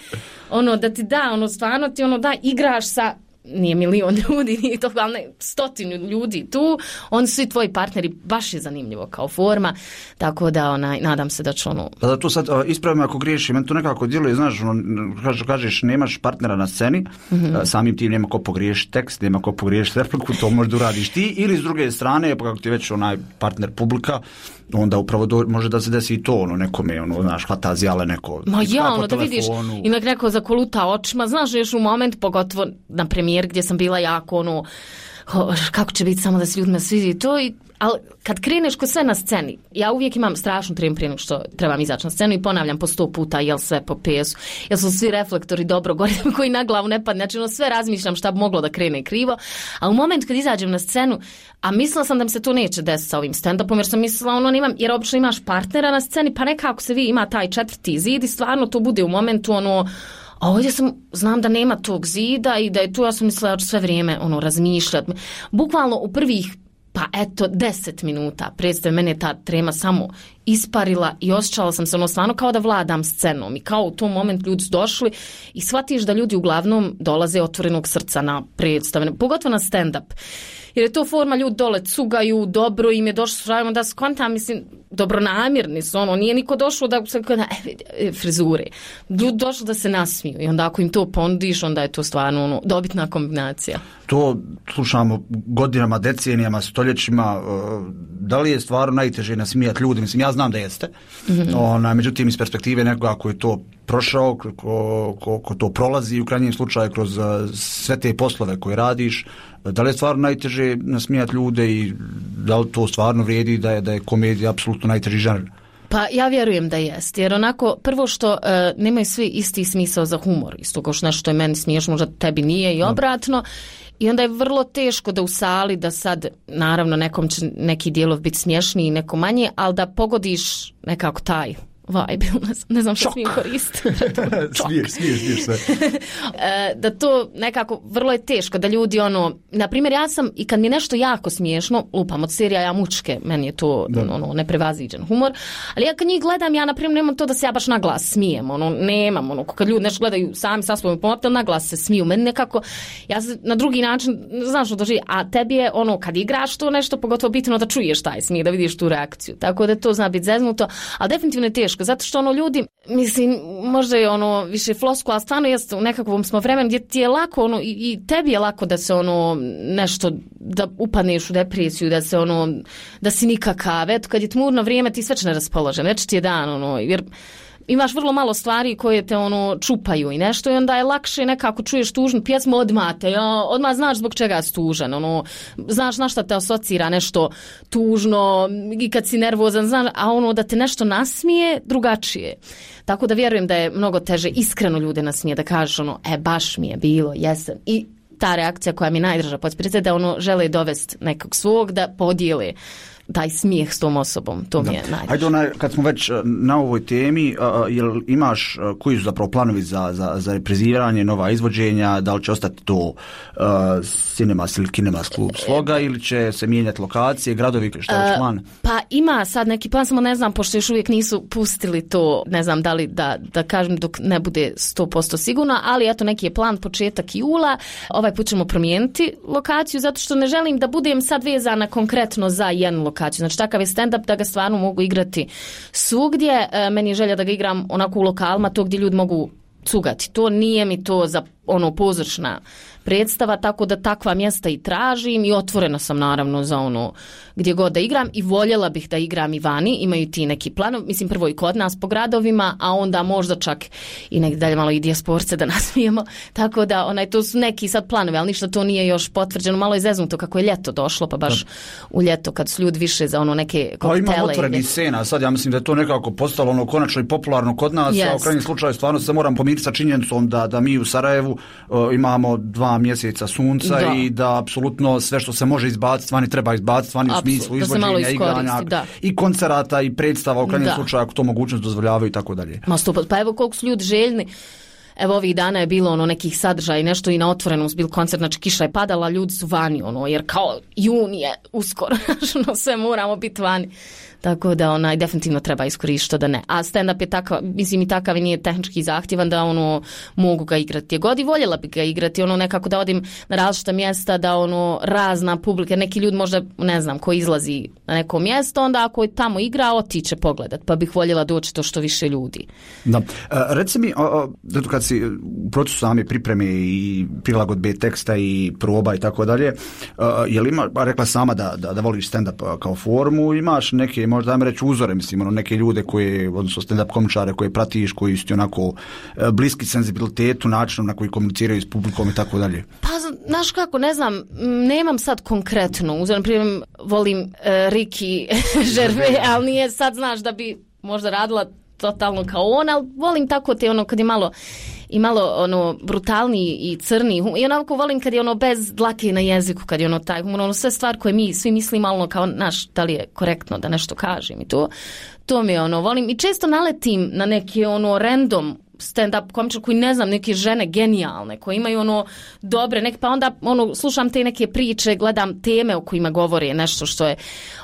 ono da ti da, ono stvarno ti ono da, igraš sa, nije milion ljudi, nije to, ali ne, stotinu ljudi tu, oni su i tvoji partneri, baš je zanimljivo kao forma, tako da onaj, nadam se da će ono... Pa da to sad ispravim ako griješi, meni to nekako djeluje, znaš, ono, kažeš nemaš partnera na sceni, mm-hmm. samim tim nema ko pogriješiti tekst, nema ko pogriješiti repliku, to možda uradiš ti, ili s druge strane, pa kako ti već onaj partner publika, onda upravo do, može da se desi i to, ono, nekome, ono, znaš, hvata zjale neko... Ma ja, ono, da vidiš, ima neko zakoluta očima, znaš, još u moment, pogotovo na premijer gdje sam bila jako, ono, kako će biti samo da se ljudima svidi to, i, ali kad kreneš kod sve na sceni, ja uvijek imam strašnu tremu prije nego što trebam izaći na scenu i ponavljam po sto puta jel sve po pesu, jel su svi reflektori dobro gore koji na glavu ne padne, znači ono sve razmišljam šta bi moglo da krene krivo, a u moment kad izađem na scenu, a mislila sam da mi se to neće desiti sa ovim stand-upom, jer sam mislila ono nemam, jer obično imaš partnera na sceni, pa nekako se vi ima taj četvrti zid i stvarno to bude u momentu ono, a ovdje sam, znam da nema tog zida i da je tu, ja sam mislila da ću sve vrijeme ono, razmišljati. Bukvalno u prvih, pa eto, deset minuta, predstave, mene je ta trema samo isparila i osjećala sam se ono stvarno kao da vladam scenom i kao u tom moment ljudi su došli i shvatiš da ljudi uglavnom dolaze otvorenog srca na predstave, pogotovo na stand-up. Jer je to forma, ljudi dole cugaju, dobro im je došlo, da skontam, mislim, dobronamjerni su, ono, nije niko došlo da se kada, e, frizure. Ljudi došlo da se nasmiju i onda ako im to ponudiš, onda je to stvarno ono, dobitna kombinacija. To slušamo godinama, decenijama, stoljećima, da li je stvarno najteže nasmijati ljudi? Mislim, ja znam da jeste. Mm-hmm. Ona, međutim, iz perspektive nekoga koji je to prošao, ko, ko, ko to prolazi u krajnjem slučaju kroz sve te poslove koje radiš, da li je stvarno najteže nasmijati ljude i da li to stvarno vrijedi da je, da je komedija apsolutno najteži žanr? Pa ja vjerujem da jest, jer onako prvo što uh, nemaju svi isti smisao za humor, isto kao što nešto je meni smiješno, možda tebi nije i obratno, i onda je vrlo teško da u sali, da sad naravno nekom će neki dijelov biti smješniji i neko manje, ali da pogodiš nekako taj vibe, ne znam što smijem koristiti. smiješ, smiješ, smiješ sve. Da to nekako, vrlo je teško da ljudi ono, na primjer ja sam i kad mi je nešto jako smiješno, lupam od serija ja mučke, meni je to ono, neprevaziđen humor, ali ja kad njih gledam, ja na primjer nemam to da se ja baš na glas smijem, ono, nemam, ono, kad ljudi nešto gledaju sami sa svojom pomotom, na glas se smiju, meni nekako, ja se na drugi način, znaš što doživi, a tebi je ono, kad igraš to nešto, pogotovo bitno da čuješ taj smijeh, da vidiš tu reakciju, tako da to zna biti zeznuto, ali definitivno je teško, zato što ono ljudi, mislim, možda je ono više flosku, ali stvarno jest u nekakvom smo vremenu gdje ti je lako, ono, i, i tebi je lako da se ono, nešto, da upadneš u depresiju, da se ono, da si nikakav, eto, kad je tmurno vrijeme, ti sve će neraspoložen, već ti je dan, ono, jer imaš vrlo malo stvari koje te ono čupaju i nešto i onda je lakše nekako čuješ tužnu pjesmu odmah te, ja, odmah znaš zbog čega si tužan, ono, znaš na šta te asocira nešto tužno i kad si nervozan, znaš, a ono da te nešto nasmije drugačije. Tako da vjerujem da je mnogo teže iskreno ljude nasmije, da kažeš ono, e baš mi je bilo, jesam. I ta reakcija koja mi najdraža podspirite da ono žele dovesti nekog svog da podijele taj smijeh s tom osobom, to mi je najdraže. Ajde, onaj, kad smo već na ovoj temi, uh, jel imaš, uh, koji su zapravo planovi za, za, za repriziranje, nova izvođenja, da li će ostati to uh, Cinemas ili Kinemas klub Sloga ili će se mijenjati lokacije, gradovi, šta je uh, plan? Pa ima sad neki plan, samo ne znam, pošto još uvijek nisu pustili to, ne znam da li da, da kažem dok ne bude sto posto sigurno, ali eto neki je plan početak jula, ovaj put ćemo promijeniti lokaciju, zato što ne želim da budem sad vezana konkretno za jednu lokaciju. Znači takav je stand-up da ga stvarno mogu igrati svugdje. E, meni je želja da ga igram onako u lokalima, to gdje ljudi mogu cugati. To nije mi to za ono pozorčna predstava, tako da takva mjesta i tražim i otvorena sam naravno za ono gdje god da igram i voljela bih da igram i vani, imaju ti neki planovi, mislim prvo i kod nas po gradovima, a onda možda čak i negdje dalje malo i dijasporce da nasmijemo, tako da onaj, to su neki sad planovi, ali ništa to nije još potvrđeno, malo je zeznuto kako je ljeto došlo, pa baš u ljeto kad su ljudi više za ono neke koktele. Pa ima otvoreni scena, sad ja mislim da je to nekako postalo ono konačno i popularno kod nas, yes. A u krajnjem slučaju stvarno se moram pomiriti sa činjenicom da, da mi u Sarajevu uh, imamo dva mjeseca sunca da. I da apsolutno sve što se može izbaciti, stvarno treba izbaciti, stvarno u smislu izvođenja, igranja i koncerata i predstava u krajnjem slučaju ako to mogućnost dozvoljavaju i tako dalje. Ma sto, pa evo koliko su ljudi željni. Evo ovih dana je bilo ono nekih sadržaja i nešto i na otvorenom bil koncert, znači kiša je padala, ljudi su vani, ono, jer kao jun je uskoro, ono, sve moramo biti vani. Tako da onaj definitivno treba iskoristiti da ne. A stand-up je takav, mislim i takav i nije tehnički zahtjevan da ono mogu ga igrati. Je god i voljela bi ga igrati, ono nekako da odim na različita mjesta, da ono razna publika, neki ljudi možda, ne znam, ko izlazi na neko mjesto, onda ako je tamo igra, otiće pogledat, pa bih voljela doći to što više ljudi. Da. A, reci mi, a, a, kad si u procesu same pripreme i prilagodbe teksta i proba i tako dalje, je li ima, rekla sama da, da, da voliš stand-up kao formu, imaš neke možda dajme reći uzore, mislim, ono, neke ljude koje, odnosno stand-up komičare koje pratiš, koji su onako bliski senzibilitetu, načinom na koji komuniciraju s publikom i tako dalje. Pa, znaš kako, ne znam, nemam sad konkretno, uzor, na primjer, volim uh, Ricky Gervais, ali nije sad, znaš, da bi možda radila totalno kao on, ali volim tako te, ono, kad je malo i malo ono brutalniji i crni i onako volim kad je ono bez dlake na jeziku, kad je ono taj humor, ono sve stvari koje mi svi mislimo ono kao naš, da li je korektno da nešto kažem i to, to mi je ono volim i često naletim na neke ono random stand-up komičar koji ne znam, neke žene genijalne, koje imaju ono dobre, nek, pa onda ono, slušam te neke priče, gledam teme o kojima govore nešto što je,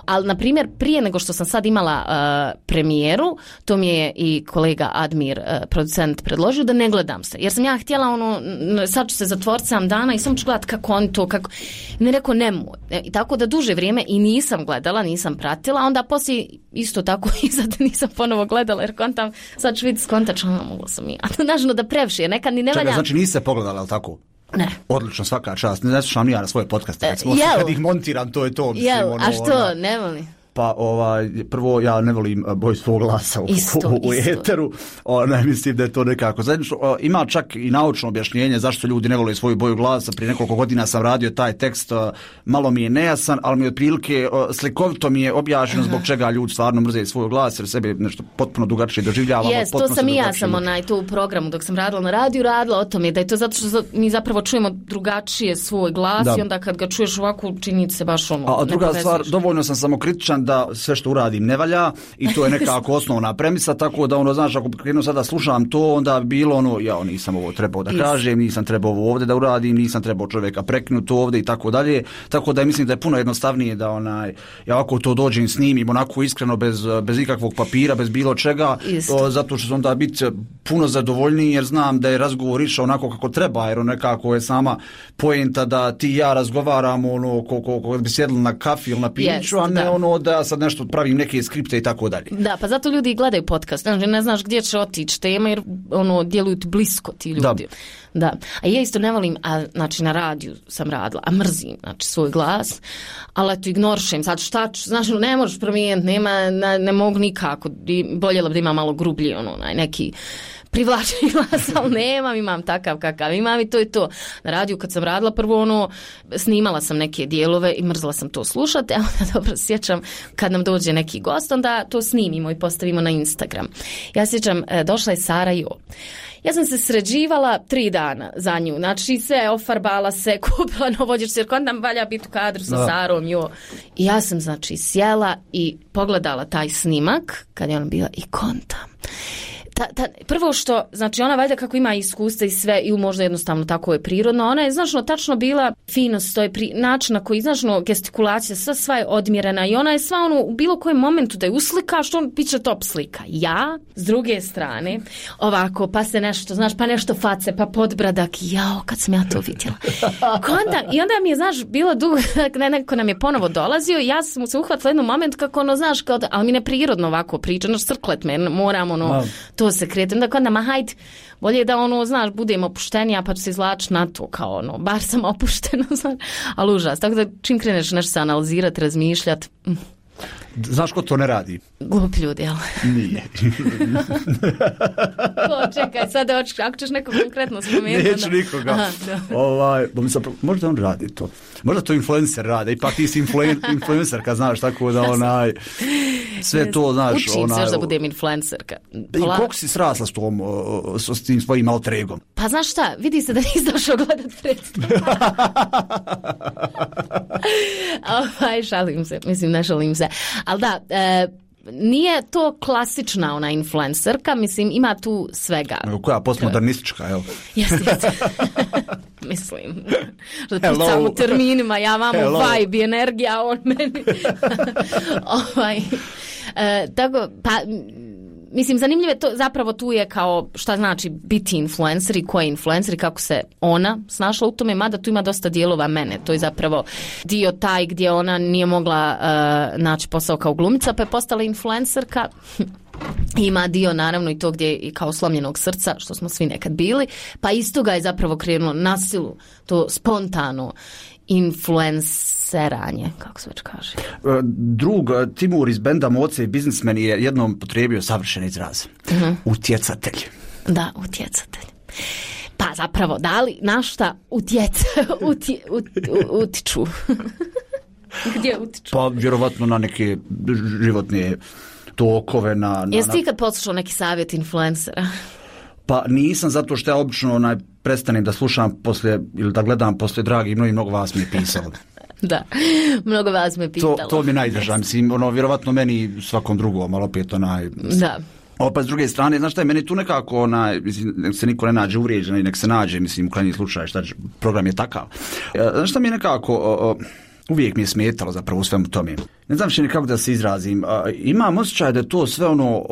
ali na primjer prije nego što sam sad imala uh, premijeru, to mi je i kolega Admir, uh, producent, predložio da ne gledam se, jer sam ja htjela ono, sad ću se zatvoriti sam dana i sam ću gledati kako oni to, kako, ne rekao nemoj, i tako da duže vrijeme i nisam gledala, nisam pratila, onda poslije isto tako i sad nisam ponovo gledala, jer kontam, sad ću vidjeti skontačno, mogla sam i, a nažno da previše, nekad ni ne valja. Čekaj, znači niste pogledala, ali tako? Ne. Odlično, svaka čast. Ne slušam ni ja na svoje podcaste. E, recimo, kad ih montiram, to je to. Mislim, jel, ono, a što, ona, ne volim? Pa ovaj, prvo ja ne volim boj svog glasa u, isto, u, u isto. eteru. O, ne mislim da je to nekako zajednično. O, ima čak i naučno objašnjenje zašto ljudi ne vole svoju boju glasa. Prije nekoliko godina sam radio taj tekst, o, malo mi je nejasan, ali mi otprilike o, slikovito mi je objašnjeno zbog čega ljudi stvarno mrze svoj glas, jer sebe nešto potpuno drugačije doživljavamo. Jes, to sam i ja sam onaj, to u programu dok sam radila na radiju, radila o tome, da je to zato što mi zapravo čujemo drugačije svoj glas da. I onda kad ga čuješ ovako čini se baš ono. A, a druga stvar, dovoljno sam samokritičan da sve što uradim ne valja i to je nekako osnovna premisa, tako da ono, znaš, ako krenu sada slušam to, onda bilo ono, ja nisam ovo trebao da kažem, nisam trebao ovo ovdje da uradim, nisam trebao čovjeka prekinuti ovdje i tako dalje, tako da mislim da je puno jednostavnije da onaj, ja ovako to dođem, snimim onako iskreno, bez, bez ikakvog papira, bez bilo čega, o, zato što će onda biti puno zadovoljniji jer znam da je razgovor išao onako kako treba, jer nekako je sama poenta da ti i ja razgovaramo ono, ko, ko, ko bi sjedili na kafi ili na piću, yes, a ne da. ono da sad nešto pravim neke skripte i tako dalje. Da, pa zato ljudi gledaju podcast, znači ne znaš gdje će otići tema jer ono, djeluju ti blisko ti ljudi. Da. Da, a ja isto ne volim, a, znači na radiju sam radila, a mrzim, znači svoj glas, ali eto ignoršem, sad šta ću, znači ne možeš promijeniti, nema, ne, ne mogu nikako, boljela bi da ima malo grublji, ono, neki privlačni glas, ali nemam, imam takav kakav imam i to je to. Na radiju kad sam radila prvo ono, snimala sam neke dijelove i mrzla sam to slušati, a onda dobro sjećam kad nam dođe neki gost, onda to snimimo i postavimo na Instagram. Ja sjećam, došla je Sara Jo. Ja sam se sređivala tri dana za nju, znači sve ofarbala se, kupila novođer, jer kod nam valja biti u kadru sa Sarom, jo. I ja sam znači sjela i pogledala taj snimak kad je ona bila i kontam. Ta, ta, prvo što, znači ona valjda kako ima iskustva i sve i možda jednostavno tako je prirodno, ona je značno tačno bila finost, to je pri, način na koji značno gestikulacija sva, sva je odmjerena i ona je sva ono u bilo kojem momentu da je uslika što on piće top slika. Ja, s druge strane, ovako pa se nešto, znaš, pa nešto face, pa podbradak, jao, kad sam ja to vidjela. Konda, i onda mi je, znaš, bilo dugo, neko nam je ponovo dolazio i ja sam se uhvatila jednom moment kako ono, znaš, kao da, ali mi ne prirodno ovako priča, znaš, crklet me, moram ono, no. to se kreti. Onda kod nama, hajde, bolje da ono, znaš, budem opuštenija pa ću se izlači na to, kao ono, bar sam opuštena, znaš, ali užas. Tako da čim kreneš nešto se analizirati, razmišljati. Mm. Znaš ko to ne radi? Glup ljudi, jel? Nije. O, čekaj, sad ako ćeš neko konkretno spomenuti. Neću onda... nikoga. Aha, ovaj, možda on radi to. Možda to influencer rade. Ipak ti si influen, influencerka, znaš, tako da onaj... Sve to, znaš... Učim onaj, se da budem influencerka. Pola... I koliko si srasla s, tom, s tim svojim alter egom? Pa znaš šta, vidi se da nisi došao gledat predstavu. Ovaj, šalim se, mislim, ne šalim se. Ali da, e, nije to klasična ona influencerka, mislim, ima tu svega. Koja, postmodernistička, evo. Jeste, jeste. Mislim, da pucam u terminima, ja vam vibe i energija, on meni. ovaj, e, tako, pa... Mislim, zanimljivo je to, zapravo tu je kao šta znači biti influencer i ko je influencer i kako se ona snašla u tome, mada tu ima dosta dijelova mene. To je zapravo dio taj gdje ona nije mogla uh, naći posao kao glumica, pa je postala influencerka. Ima dio naravno i to gdje i kao slomljenog srca, što smo svi nekad bili, pa isto ga je zapravo krenulo na silu, to spontano influenceranje, kako se već kaže. Drug Timur iz benda Moce i biznismen je jednom potrebio savršen izraz. Uh-huh. Utjecatelj. Da, utjecatelj. Pa zapravo, da li na šta utjeca, utje, ut, utiču? Gdje utiču? Pa vjerovatno na neke životne tokove. Na, na, Jesi ti kad poslušao neki savjet influencera? Pa nisam, zato što ja obično onaj, prestanem da slušam poslije, ili da gledam poslije dragi, mnogi, mnogo vas mi je pisalo. Da, mnogo vas me pitalo. To, to mi najdraža, mislim, ono, vjerovatno meni svakom drugom, ali opet onaj... Da. Opet s druge strane, znaš šta je, meni tu nekako, onaj, mislim, nek se niko ne nađe uvrijeđen i nek se nađe, mislim, u krajnji slučaj, šta program je takav. Znaš šta mi je nekako... O, o, uvijek mi je smetalo zapravo u svemu tome. Ne znam što nikako da se izrazim. Imam osjećaj da je to sve ono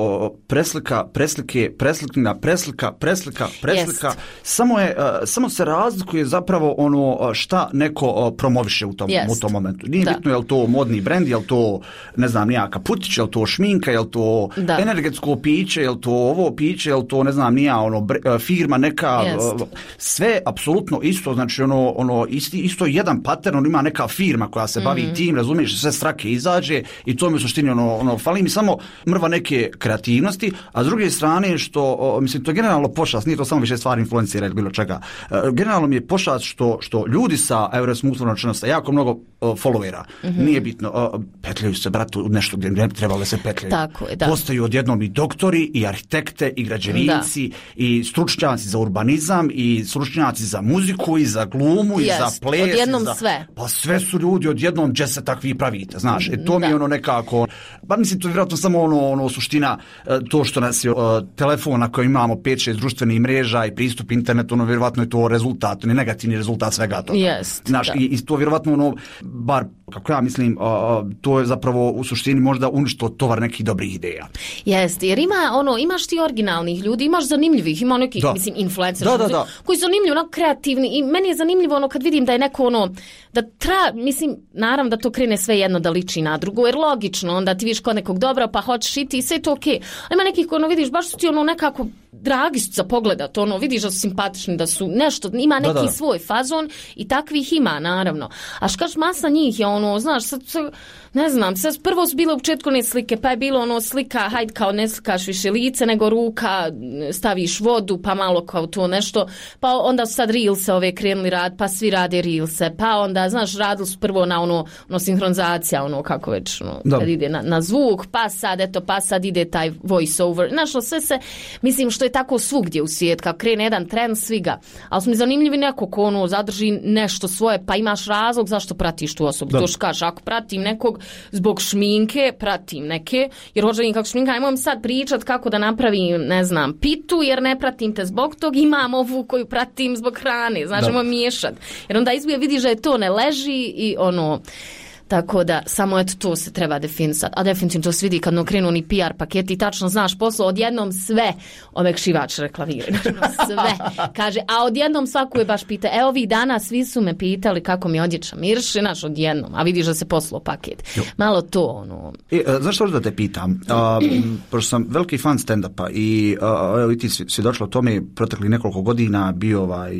preslika, preslike, preslikna, preslika, preslika, preslika. Samo, je, samo se razlikuje zapravo ono šta neko promoviše u tom, u tom momentu. Nije da. bitno je li to modni brend, je li to, ne znam, nija kaputić, je li to šminka, je li to da. energetsko piće, je li to ovo piće, je li to, ne znam, nija ono, firma neka, Jest. sve apsolutno isto, znači ono, ono isti, isto jedan pattern, on ima neka firma koja se bavi mm-hmm. tim, razumiješ, sve strake izađe i to mi u suštini ono, ono, fali mi samo mrva neke kreativnosti, a s druge strane što, o, mislim, to je generalno pošast, nije to samo više stvari influencera ili bilo čega, e, generalno mi je pošast što, što ljudi sa Eurosmoothom sa jako mnogo o, followera, mm-hmm. nije bitno, o, petljaju se, bratu, u nešto gdje ne trebalo se petljaju. Tako je, da. Postaju odjednom i doktori, i arhitekte, i građevinci, da. i stručnjaci za urbanizam, i stručnjaci za muziku, i za glumu, yes. i za ples. Odjednom za, sve. Pa sve su ljudi odjednom, gdje se takvi pravite, znaš. to mi je Da. ono nekako, pa mislim to je vjerojatno samo ono, ono suština, e, to što nas je e, telefon na kojem imamo pet šest društvenih mreža i pristup internetu, ono vjerojatno je to rezultat, ne negativni rezultat svega toga. Jest, Znaš, da. i, i to vjerojatno ono, bar kako ja mislim, a, a, to je zapravo u suštini možda uništilo tovar nekih dobrih ideja. Jeste, jer ima ono, imaš ti originalnih ljudi, imaš zanimljivih, ima nekih, Da. mislim, influencera, Da, da, da. koji su zanimljivi, ono, kreativni i meni je zanimljivo ono kad vidim da je neko ono, da tra, mislim, naravno da to krene sve jedno da liči na drugo, jer logično, onda ti vidiš kod nekog dobra pa hoćeš i ti, sve je to okej. Okay. A ima nekih koji ono vidiš, baš su ti ono nekako dragi su za pogledat, ono, vidiš da su simpatični, da su nešto, ima neki Da, da. svoj fazon i takvih ima, naravno. A škaš masa njih je ono, znaš, sad, sad ne znam, sad prvo su bile u početku ne slike, pa je bilo ono slika, hajde kao ne slikaš više lice, nego ruka, staviš vodu, pa malo kao to nešto, pa onda su sad reelse ove krenuli rad, pa svi rade reelse, pa onda, znaš, radili su prvo na ono, ono sinhronizacija, ono kako već, ono, Da. kad ide na, na zvuk, pa sad, eto, pa sad ide taj voice over, znaš, ono, sve se, mislim, što je tako svugdje u svijet, kao krene jedan trend, svi ga, ali su mi zanimljivi neko ko ono, zadrži nešto svoje, pa imaš razlog zašto pratiš tu osobu, Da. to što kažeš, ako pratim nekog zbog šminke, pratim neke, jer hoćem kako šminka, ajmo sad pričat kako da napravim, ne znam, pitu, jer ne pratim te zbog tog, imam ovu koju pratim zbog hrane, znači, Da. ajmo miješat, jer onda izbije vidiš da je to ne leži i ono, tako da, samo eto to se treba definisati. A definitivno to se vidi kad no krenu ni P R paketi i tačno znaš poslo, odjednom sve omekšivač reklamiraju. Znači, sve. Kaže, a odjednom svaku je baš pita, evo ovih dana svi su me pitali kako mi odjeća mirši, znaš, odjednom, a vidiš da se poslo paket. Malo to, ono... E, zašto da te pitam? A, m, pošto sam veliki fan stand-upa i a, evo i ti svjedočila o tome protekli nekoliko godina, bio ovaj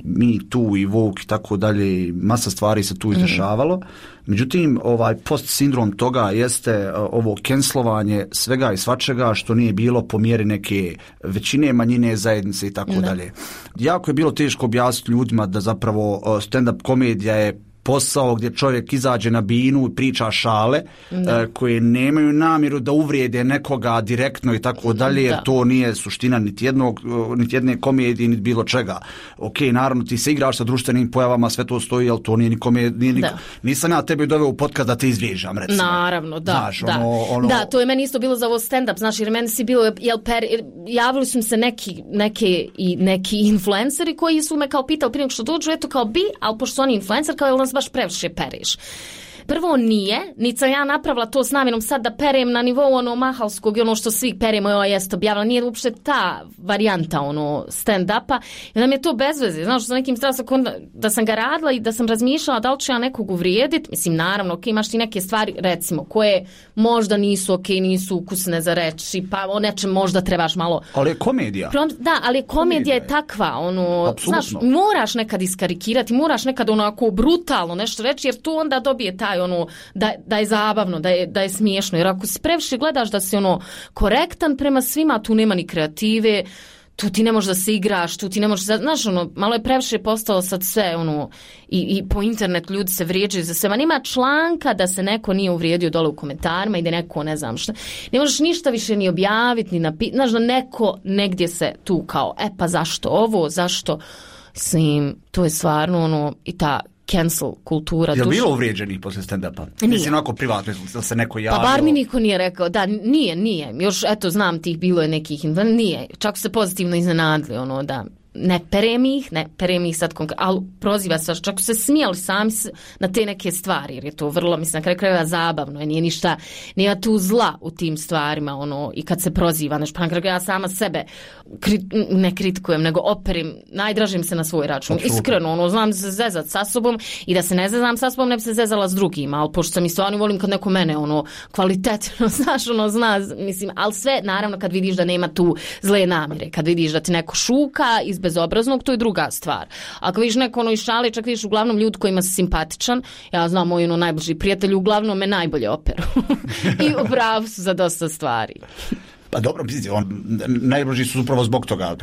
Me Too i Vogue i tako dalje, masa stvari se tu izdešavalo. Međutim, ovaj post-sindrom toga jeste a, ovo cancelovanje svega i svačega što nije bilo po mjeri neke većine, manjine, zajednice i tako Da. dalje. Jako je bilo teško objasniti ljudima da zapravo a, stand-up komedija je posao gdje čovjek izađe na binu i priča šale Da. e, koje nemaju namjeru da uvrijede nekoga direktno i tako dalje, jer Da. to nije suština niti jednog, e, niti jedne komedije, niti bilo čega. Ok, naravno ti se igraš sa društvenim pojavama, sve to stoji, ali to nije ni komedija. Da. Nisam ja tebe doveo u podcast da te izvježam, recimo. Naravno, da, Znaš, da. ono, ono... Da, to je meni isto bilo za ovo stand-up, znaš, jer meni si bilo, jel, per, javili su mi se neki, neke, i neki influenceri koji su me kao pitali prije nego što dođu, eto kao bi, ali pošto su oni influencer, kao jel nas baš previše pereš. Prvo nije, niti sam ja napravila to s namjerom sad da perem na nivou ono mahalskog i ono što svi peremo, joj jest objavila, nije uopšte ta varijanta ono stand-upa i onda mi je to bez veze, znaš, sa nekim strasa da sam ga radila i da sam razmišljala da li ću ja nekog uvrijediti, mislim naravno, ok, imaš ti neke stvari recimo koje možda nisu ok, nisu ukusne za reći, pa o nečem možda trebaš malo... Ali je komedija. Prom, da, ali komedija, komedija je takva, ono, Apsolutno. znaš, moraš nekad iskarikirati, moraš nekad onako brutalno nešto reći, jer tu onda dobije taj ono, da, da je zabavno, da je, da je smiješno, jer ako si previše gledaš da si ono korektan prema svima, tu nema ni kreative, tu ti ne možeš da se igraš, tu ti ne možeš, znaš, ono, malo je previše postalo sad sve, ono, i, i po internetu ljudi se vrijeđaju za sve, ma nema članka da se neko nije uvrijedio dole u komentarima i da neko, ne znam šta, ne možeš ništa više ni objaviti, ni napisati, znaš, da neko negdje se tu kao, e pa zašto ovo, zašto, mislim, to je stvarno, ono, i ta cancel kultura. Je li duš... bilo uvrijeđenih poslije stand-upa? Nije. Mislim, onako privatno, da se neko javio. Pa bar mi niko nije rekao, da, nije, nije. Još, eto, znam tih, bilo je nekih, nije. Čak su se pozitivno iznenadili, ono, da ne perem ih, ne perem ih sad konkretno, ali proziva se, čak su se smijali sami na te neke stvari, jer je to vrlo, mislim, na kraju krajeva zabavno, nije ništa, nema tu zla u tim stvarima, ono, i kad se proziva, znači, pa na kraju ja sama sebe kri, ne kritikujem, nego operim, najdražim se na svoj račun, Absolutno. Iskreno, ono, znam se zezat sa sobom i da se ne zezam sa sobom, ne bi se zezala s drugima, ali pošto sam i stvarno volim kad neko mene, ono, kvalitetno, znaš, ono, zna, mislim, ali sve, naravno, kad vidiš da nema tu zle namjere, kad vidiš da ti neko šuka iz bezobraznog, to je druga stvar. Ako vidiš neko ono iz šale, čak vidiš uglavnom ljud kojima si simpatičan, ja znam moj ono najbliži prijatelj, uglavnom me najbolje operu. I upravo su za dosta stvari. Pa dobro, mislite, on, najbrži su upravo zbog toga.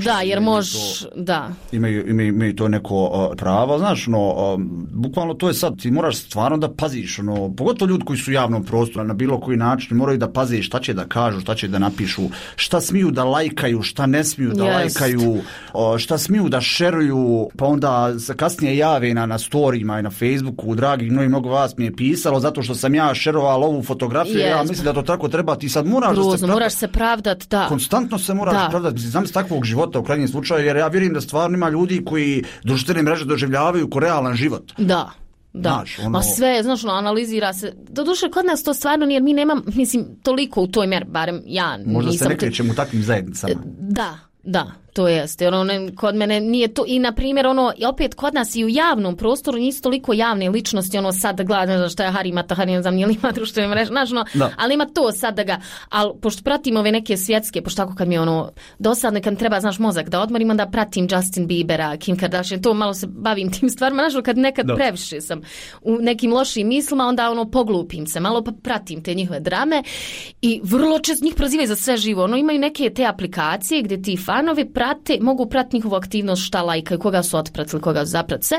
Da, jer možeš, da. Imaju, imaju, imaju to neko uh, pravo, znaš, no, uh, bukvalno to je sad, ti moraš stvarno da paziš, no, pogotovo ljudi koji su u javnom prostoru, na bilo koji način, moraju da paziš šta će da kažu, šta će da napišu, šta smiju da lajkaju, šta ne smiju da Jest. lajkaju, uh, šta smiju da šeruju, pa onda se kasnije jave na, na storijima i na Facebooku, dragi, mnogi mnogo vas mi je pisalo, zato što sam ja šeroval ovu fotografiju, Jest. ja mislim da to tako treba, ti sad moraš Gruzno, da se pravda, moraš se pravdat, da. Konstantno se moraš da. pravdati, znam s takvog života u krajnjem slučaju, jer ja vjerujem da stvarno ima ljudi koji društvene mreže doživljavaju ko realan život. Da. Da, znaš, ono... ma sve, znaš, ono, analizira se. Doduše, kod nas to stvarno nije, mi nemam, mislim, toliko u toj mjeri, barem ja Možda nisam... se ne krećemo u takvim zajednicama. Da, da, to jeste. Ono, ne, kod mene nije to, i na primjer, ono, i opet kod nas i u javnom prostoru nisu toliko javne ličnosti, ono, sad da gledam, znaš, šta je Harry Mata, ne znam, nije li ima društvene mreže, znaš, ono, ali ima to sad da ga, ali pošto pratim ove neke svjetske, pošto tako kad mi je ono, dosadno, kad mi treba, znaš, mozak da odmorim, onda pratim Justin Biebera, Kim Kardashian, to malo se bavim tim stvarima, znaš, kad nekad da. previše sam u nekim lošim mislima, onda ono, poglupim se, malo pa pratim te njihove drame i vrlo često njih prozivaju za sve živo, ono, imaju neke te aplikacije gdje ti fanovi prate, mogu pratiti njihovu aktivnost, šta lajkaju, koga su otpratili, koga su zapratili se.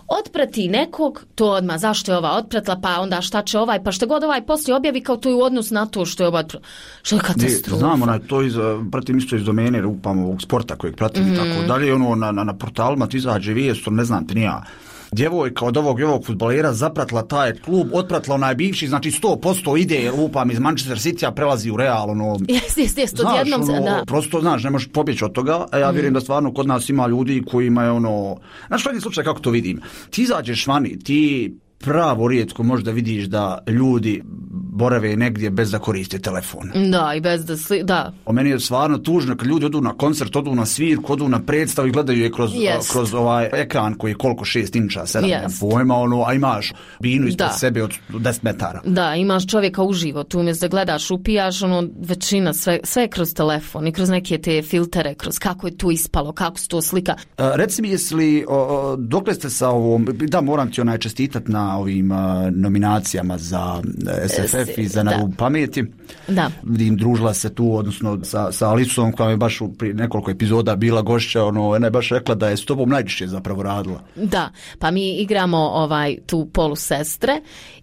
Otprati nekog, to odmah, zašto je ova otpratila, pa onda šta će ovaj, pa što god ovaj poslije objavi kao to je u odnosu na to što je ova otpratila. Što je katastrofa. Znamo, na, to iz, pratim isto iz domene, upam ovog sporta kojeg pratim mm. i tako dalje, ono, na, na, na portalima ti izađe vijest, ne znam ti nija. Djevojka od ovog i ovog fudbalera zapratila taj klub, otpratila onaj bivši, znači sto posto ide, lupam iz Manchester City-a, prelazi u Real, ono... Jes, jes, jes, to jednom se, ono, da. Prosto, znaš, ne možeš pobjeći od toga, a ja vjerujem mm. da stvarno kod nas ima ljudi koji imaju ono... Znaš, koji slučaj kako to vidim? Ti izađeš vani, ti pravo rijetko možda vidiš da ljudi borave negdje bez da koriste telefon. Da, i bez da sli... da. O meni je stvarno tužno kad ljudi odu na koncert, odu na svirku, odu na predstavu i gledaju je kroz, yes. kroz ovaj ekran koji je koliko šest inča, sedam yes. pojma, ono, a imaš binu ispred da. sebe od deset metara. Da, imaš čovjeka uživo, tu umjesto da gledaš, upijaš, ono, većina, sve, sve kroz telefon i kroz neke te filtere, kroz kako je tu ispalo, kako se to slika. A, reci mi, jesi li, o, dokle ste sa ovom, da, moram ti onaj čestitat na ovim a, nominacijama za S F F i za Narubu pameti. Da. Vidim, družila se tu, odnosno sa, sa Alisom, koja je baš u pri nekoliko epizoda bila gošća, ono, ona je baš rekla da je s tobom najčešće zapravo radila. Da, pa mi igramo ovaj tu polu sestre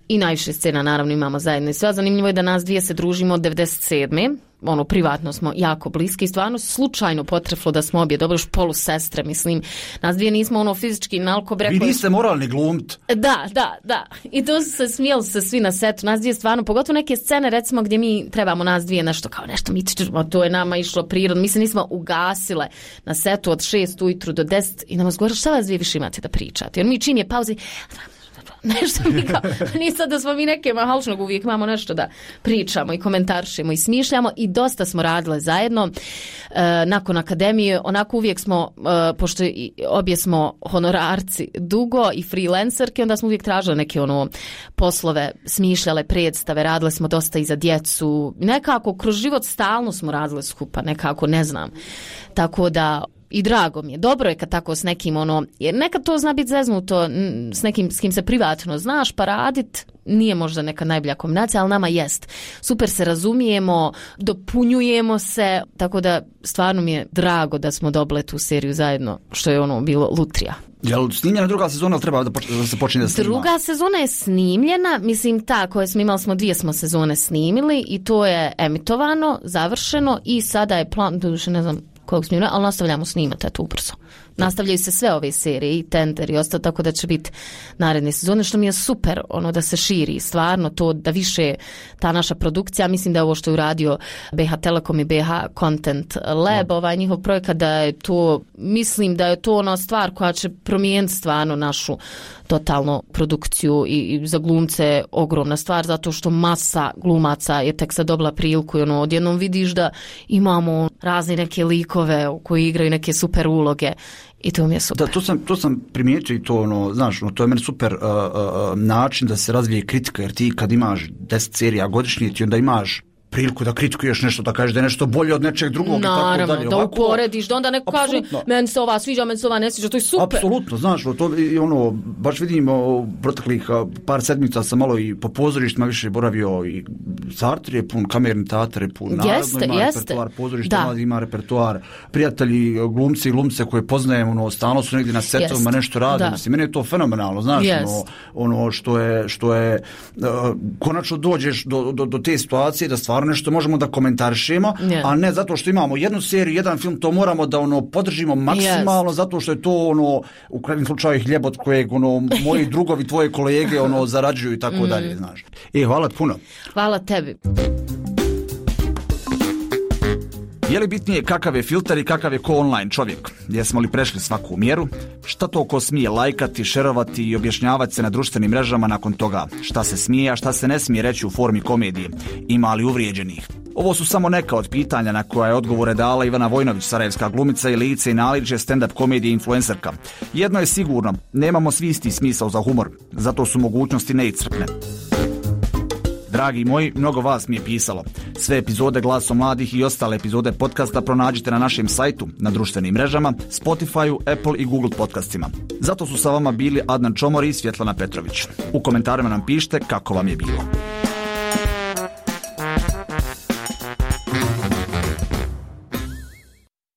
i najviše scena naravno imamo zajedno i sve. Zanimljivo je da nas dvije se družimo od devedeset sedme ono, privatno smo jako bliski i stvarno slučajno potreflo da smo obje dobro još polu sestre, mislim. Nas dvije nismo ono fizički nalko brekli. Vi niste moralni glumt. Da, da, da. I to su se smijeli se svi na setu. Nas dvije stvarno, pogotovo neke scene recimo gdje mi trebamo nas dvije nešto kao nešto mi ćemo, to je nama išlo prirodno. Mi se nismo ugasile na setu od šest ujutru do deset i nam zgovore šta vas dvije više imate da pričate. Jer mi čim je pauzi nešto mi kao, nije sad da smo mi neke mahalčnog, uvijek imamo nešto da pričamo i komentaršimo i smišljamo i dosta smo radile zajedno. E, nakon akademije, onako uvijek smo, e, pošto obje smo honorarci dugo i freelancerke, onda smo uvijek tražile neke ono poslove, smišljale predstave, radile smo dosta i za djecu. Nekako kroz život stalno smo radile skupa, nekako, ne znam. Tako da i drago mi je. Dobro je kad tako s nekim ono, jer nekad to zna biti zeznuto s nekim s kim se privatno znaš pa radit, nije možda neka najbolja kombinacija, ali nama jest. Super se razumijemo, dopunjujemo se, tako da stvarno mi je drago da smo dobile tu seriju zajedno, što je ono bilo lutrija. Jel snimljena druga sezona ili treba da, poč- da se počne da snima? Druga sezona je snimljena, mislim ta koje smo imali, smo dvije smo sezone snimili i to je emitovano, završeno i sada je plan, doduše ne znam koliko smo, ali nastavljamo snimati eto ubrzo. Nastavljaju se sve ove serije i Tender i ostalo, tako da će biti naredne sezone, što mi je super ono da se širi stvarno to, da više ta naša produkcija, mislim da je ovo što je uradio B H Telekom i B H Content Lab, ovaj njihov projekat, da je to, mislim da je to ona stvar koja će promijeniti stvarno našu totalno produkciju i, i za glumce ogromna stvar, zato što masa glumaca je tek sad dobila priliku i ono, odjednom vidiš da imamo razne neke likove koji igraju neke super uloge i to mi je super. Da, to sam, to sam primijetio i to, ono, znaš, ono, to je meni super uh, uh, način da se razvije kritika, jer ti kad imaš deset serija godišnje, ti onda imaš priliku da kritikuješ nešto, da kažeš da je nešto bolje od nečeg drugog. Naravno, i tako dalje. da Ovako, uporediš, da onda neko kaže meni se ova sviđa, meni se ova ne sviđa, to je super. Apsolutno, znaš, to i ono, baš vidim o, proteklih par sedmica sam malo i po pozorištima više boravio i Sartre je pun, Kamerni teatar je pun, naravno ima jeste. repertoar, pozorišta ima repertoar, prijatelji, glumci i glumce koje poznajem, ono, stalno su negdje na setovima nešto rade, mislim, meni je to fenomenalno, znaš, ono, ono što je, što je uh, konačno dođeš do, do, do te situacije da stvarno nešto možemo da komentarišemo, yeah. a ne zato što imamo jednu seriju, jedan film, to moramo da ono podržimo maksimalno, yes. zato što je to ono u krajnjem slučaju hljeb od kojeg ono moji drugovi, tvoje kolege ono zarađuju i tako mm. dalje, znaš. E, hvala puno. Hvala tebi. Je li bitnije kakav je filter i kakav je ko online čovjek? Jesmo li prešli svaku mjeru? Šta to ko smije lajkati, šerovati i objašnjavati se na društvenim mrežama nakon toga? Šta se smije, a šta se ne smije reći u formi komedije? Ima li uvrijeđenih? Ovo su samo neka od pitanja na koja je odgovore dala Ivana Vojnović, sarajevska glumica i lice i naličje stand-up komedije influencerka. Jedno je sigurno, nemamo svi isti smisao za humor, zato su mogućnosti neiscrpne. Dragi moji, mnogo vas mi je pisalo. Sve epizode Glasom mladih i ostale epizode podcasta pronađite na našem sajtu, na društvenim mrežama, Spotifyu, Apple i Google podcastima. Zato su sa vama bili Adnan Čomor i Svjetlana Petrović. U komentarima nam pišite kako vam je bilo.